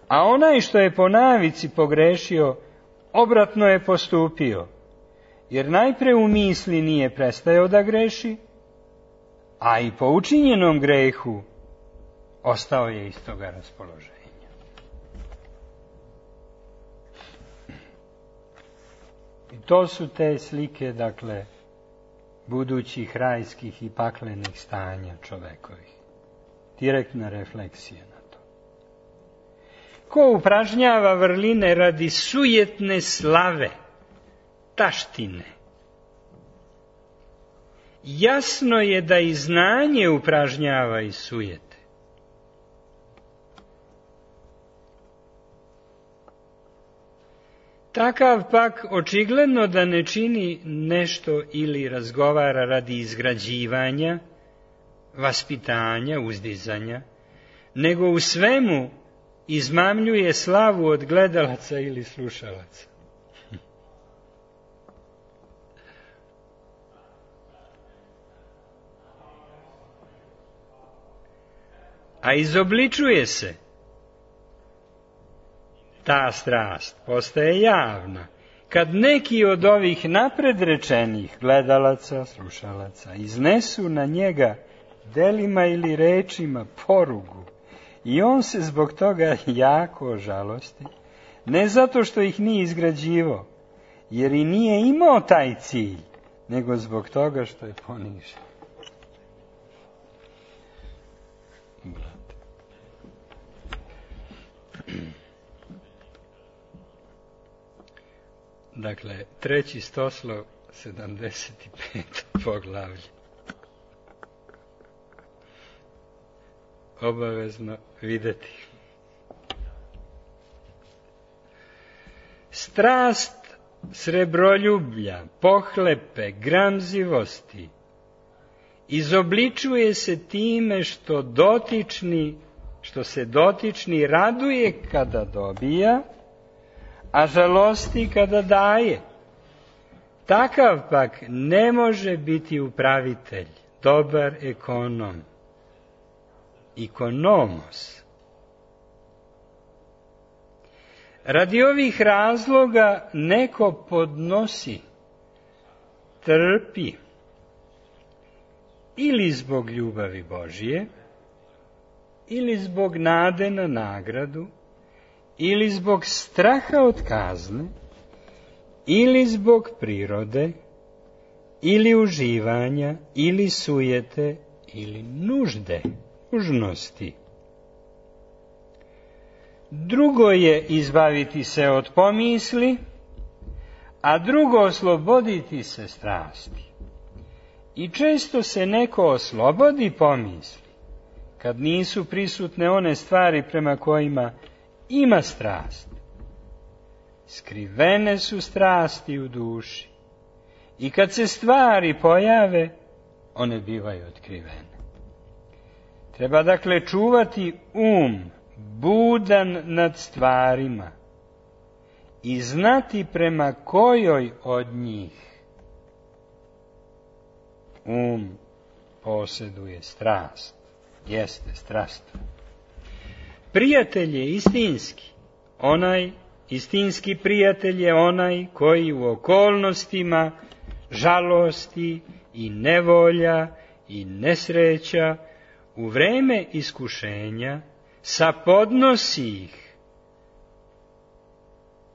A onaj što je po navici pogrešio, obratno je postupio, jer najpre u misli nije prestajao da greši, a i po učinjenom grehu ostao je istoga raspoloženja. I to su te slike, dakle, budućih rajskih i paklenih stanja čovekovih. Direktna refleksija na to. Ko upražnjava vrline radi sujetne slave, taštine, jasno je da i znanje upražnjava i sujete. Takav pak očigledno da ne čini nešto ili razgovara radi izgrađivanja, vaspitanja, uzdizanja, nego u svemu izmamljuje slavu od gledalaca ili slušalaca. A izobličuje se. Ta strast postaje javna, kad neki od ovih napred rečenih gledalaca, slušalaca, iznesu na njega delima ili rečima porugu i on se zbog toga jako žalosti, ne zato što ih nije izgrađivao, jer i nije imao taj cilj, nego zbog toga što je ponižen. Dakle, 3. stoslov, 75. poglavlje. Obavezno videti. Strast srebroljublja, pohlepe, gramzivosti izobličuje se time što se dotični raduje kada dobija, a žalosti kada daje. Takav pak ne može biti upravitelj, dobar ekonom, ikonomos. Radi ovih razloga neko podnosi, trpi, ili zbog ljubavi Božije, ili zbog nade na nagradu, ili zbog straha od kazne, ili zbog prirode, ili uživanja, ili sujete, ili nužnosti. Drugo je izbaviti se od pomisli, a drugo osloboditi se strasti. I često se neko oslobodi pomisli, kad nisu prisutne one stvari prema kojima ima strast. Skrivene su strasti u duši i kad se stvari pojave, one bivaju otkrivene. Treba dakle čuvati budan nad stvarima i znati prema kojoj od njih posjeduje strast, jeste strastva. Prijatelj je istinski, istinski prijatelj je onaj koji u okolnostima žalosti i nevolja i nesreća u vreme iskušenja sapodnosi ih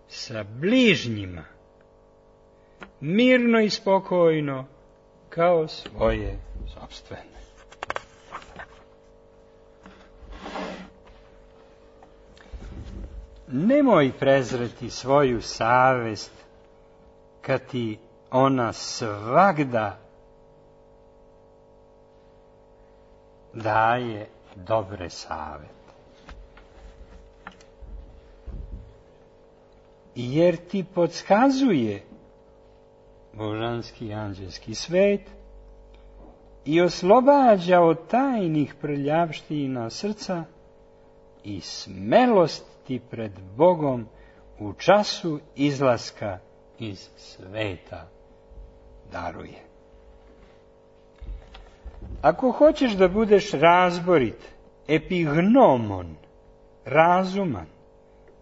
sa bližnjima, mirno i spokojno kao svoje sopstvene. Nemoj prezreti svoju savest kad ti ona svagda daje dobre savete. Jer ti podskazuje božanski anđelski svet i oslobađa od tajnih prljavština srca i smelost ti pred Bogom u času izlaska iz sveta daruje. Ako hoćeš da budeš razborit, epignomon, razuman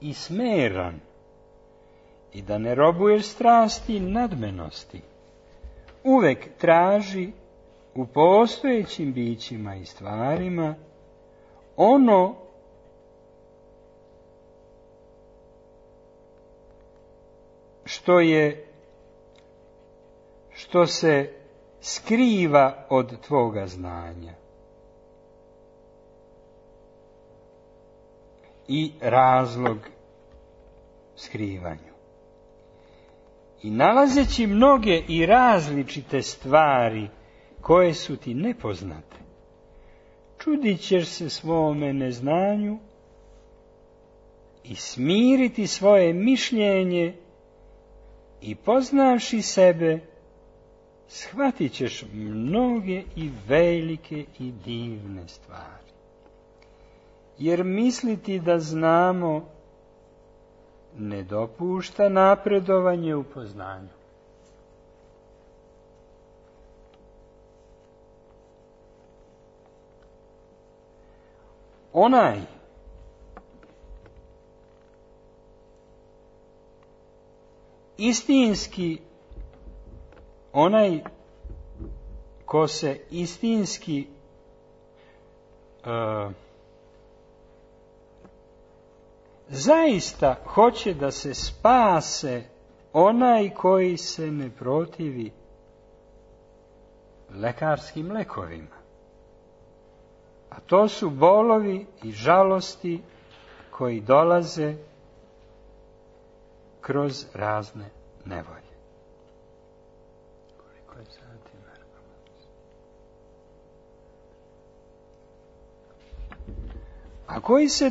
i smeran i da ne robuješ strasti nadmenosti, uvek traži u postojećim bićima i stvarima ono što se skriva od tvoga znanja i razlog skrivanju. I nalazeći mnoge i različite stvari koje su ti nepoznate, čudit ćeš se svome neznanju i smiriti svoje mišljenje i poznavši sebe, shvatit ćeš mnoge i velike i divne stvari. Jer misliti da znamo ne dopušta napredovanje u poznanju. Onaj istinski, onaj ko se istinski zaista hoće da se spase, onaj koji se ne protivi lekarskim lekovima. A to su bolovi i žalosti koji dolaze kroz razne nevolje. Koliko je sati, Marko? A koji se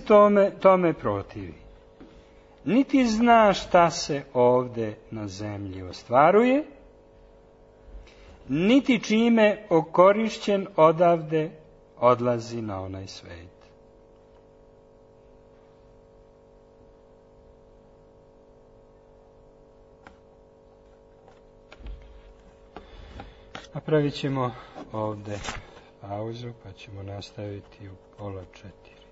tome protivi? Niti zna šta se ovde na zemlji ostvaruje, niti čime okorišćen odavde odlazi na onaj svet. Napravit ćemo ovde pauzu, pa ćemo nastaviti u 3:30.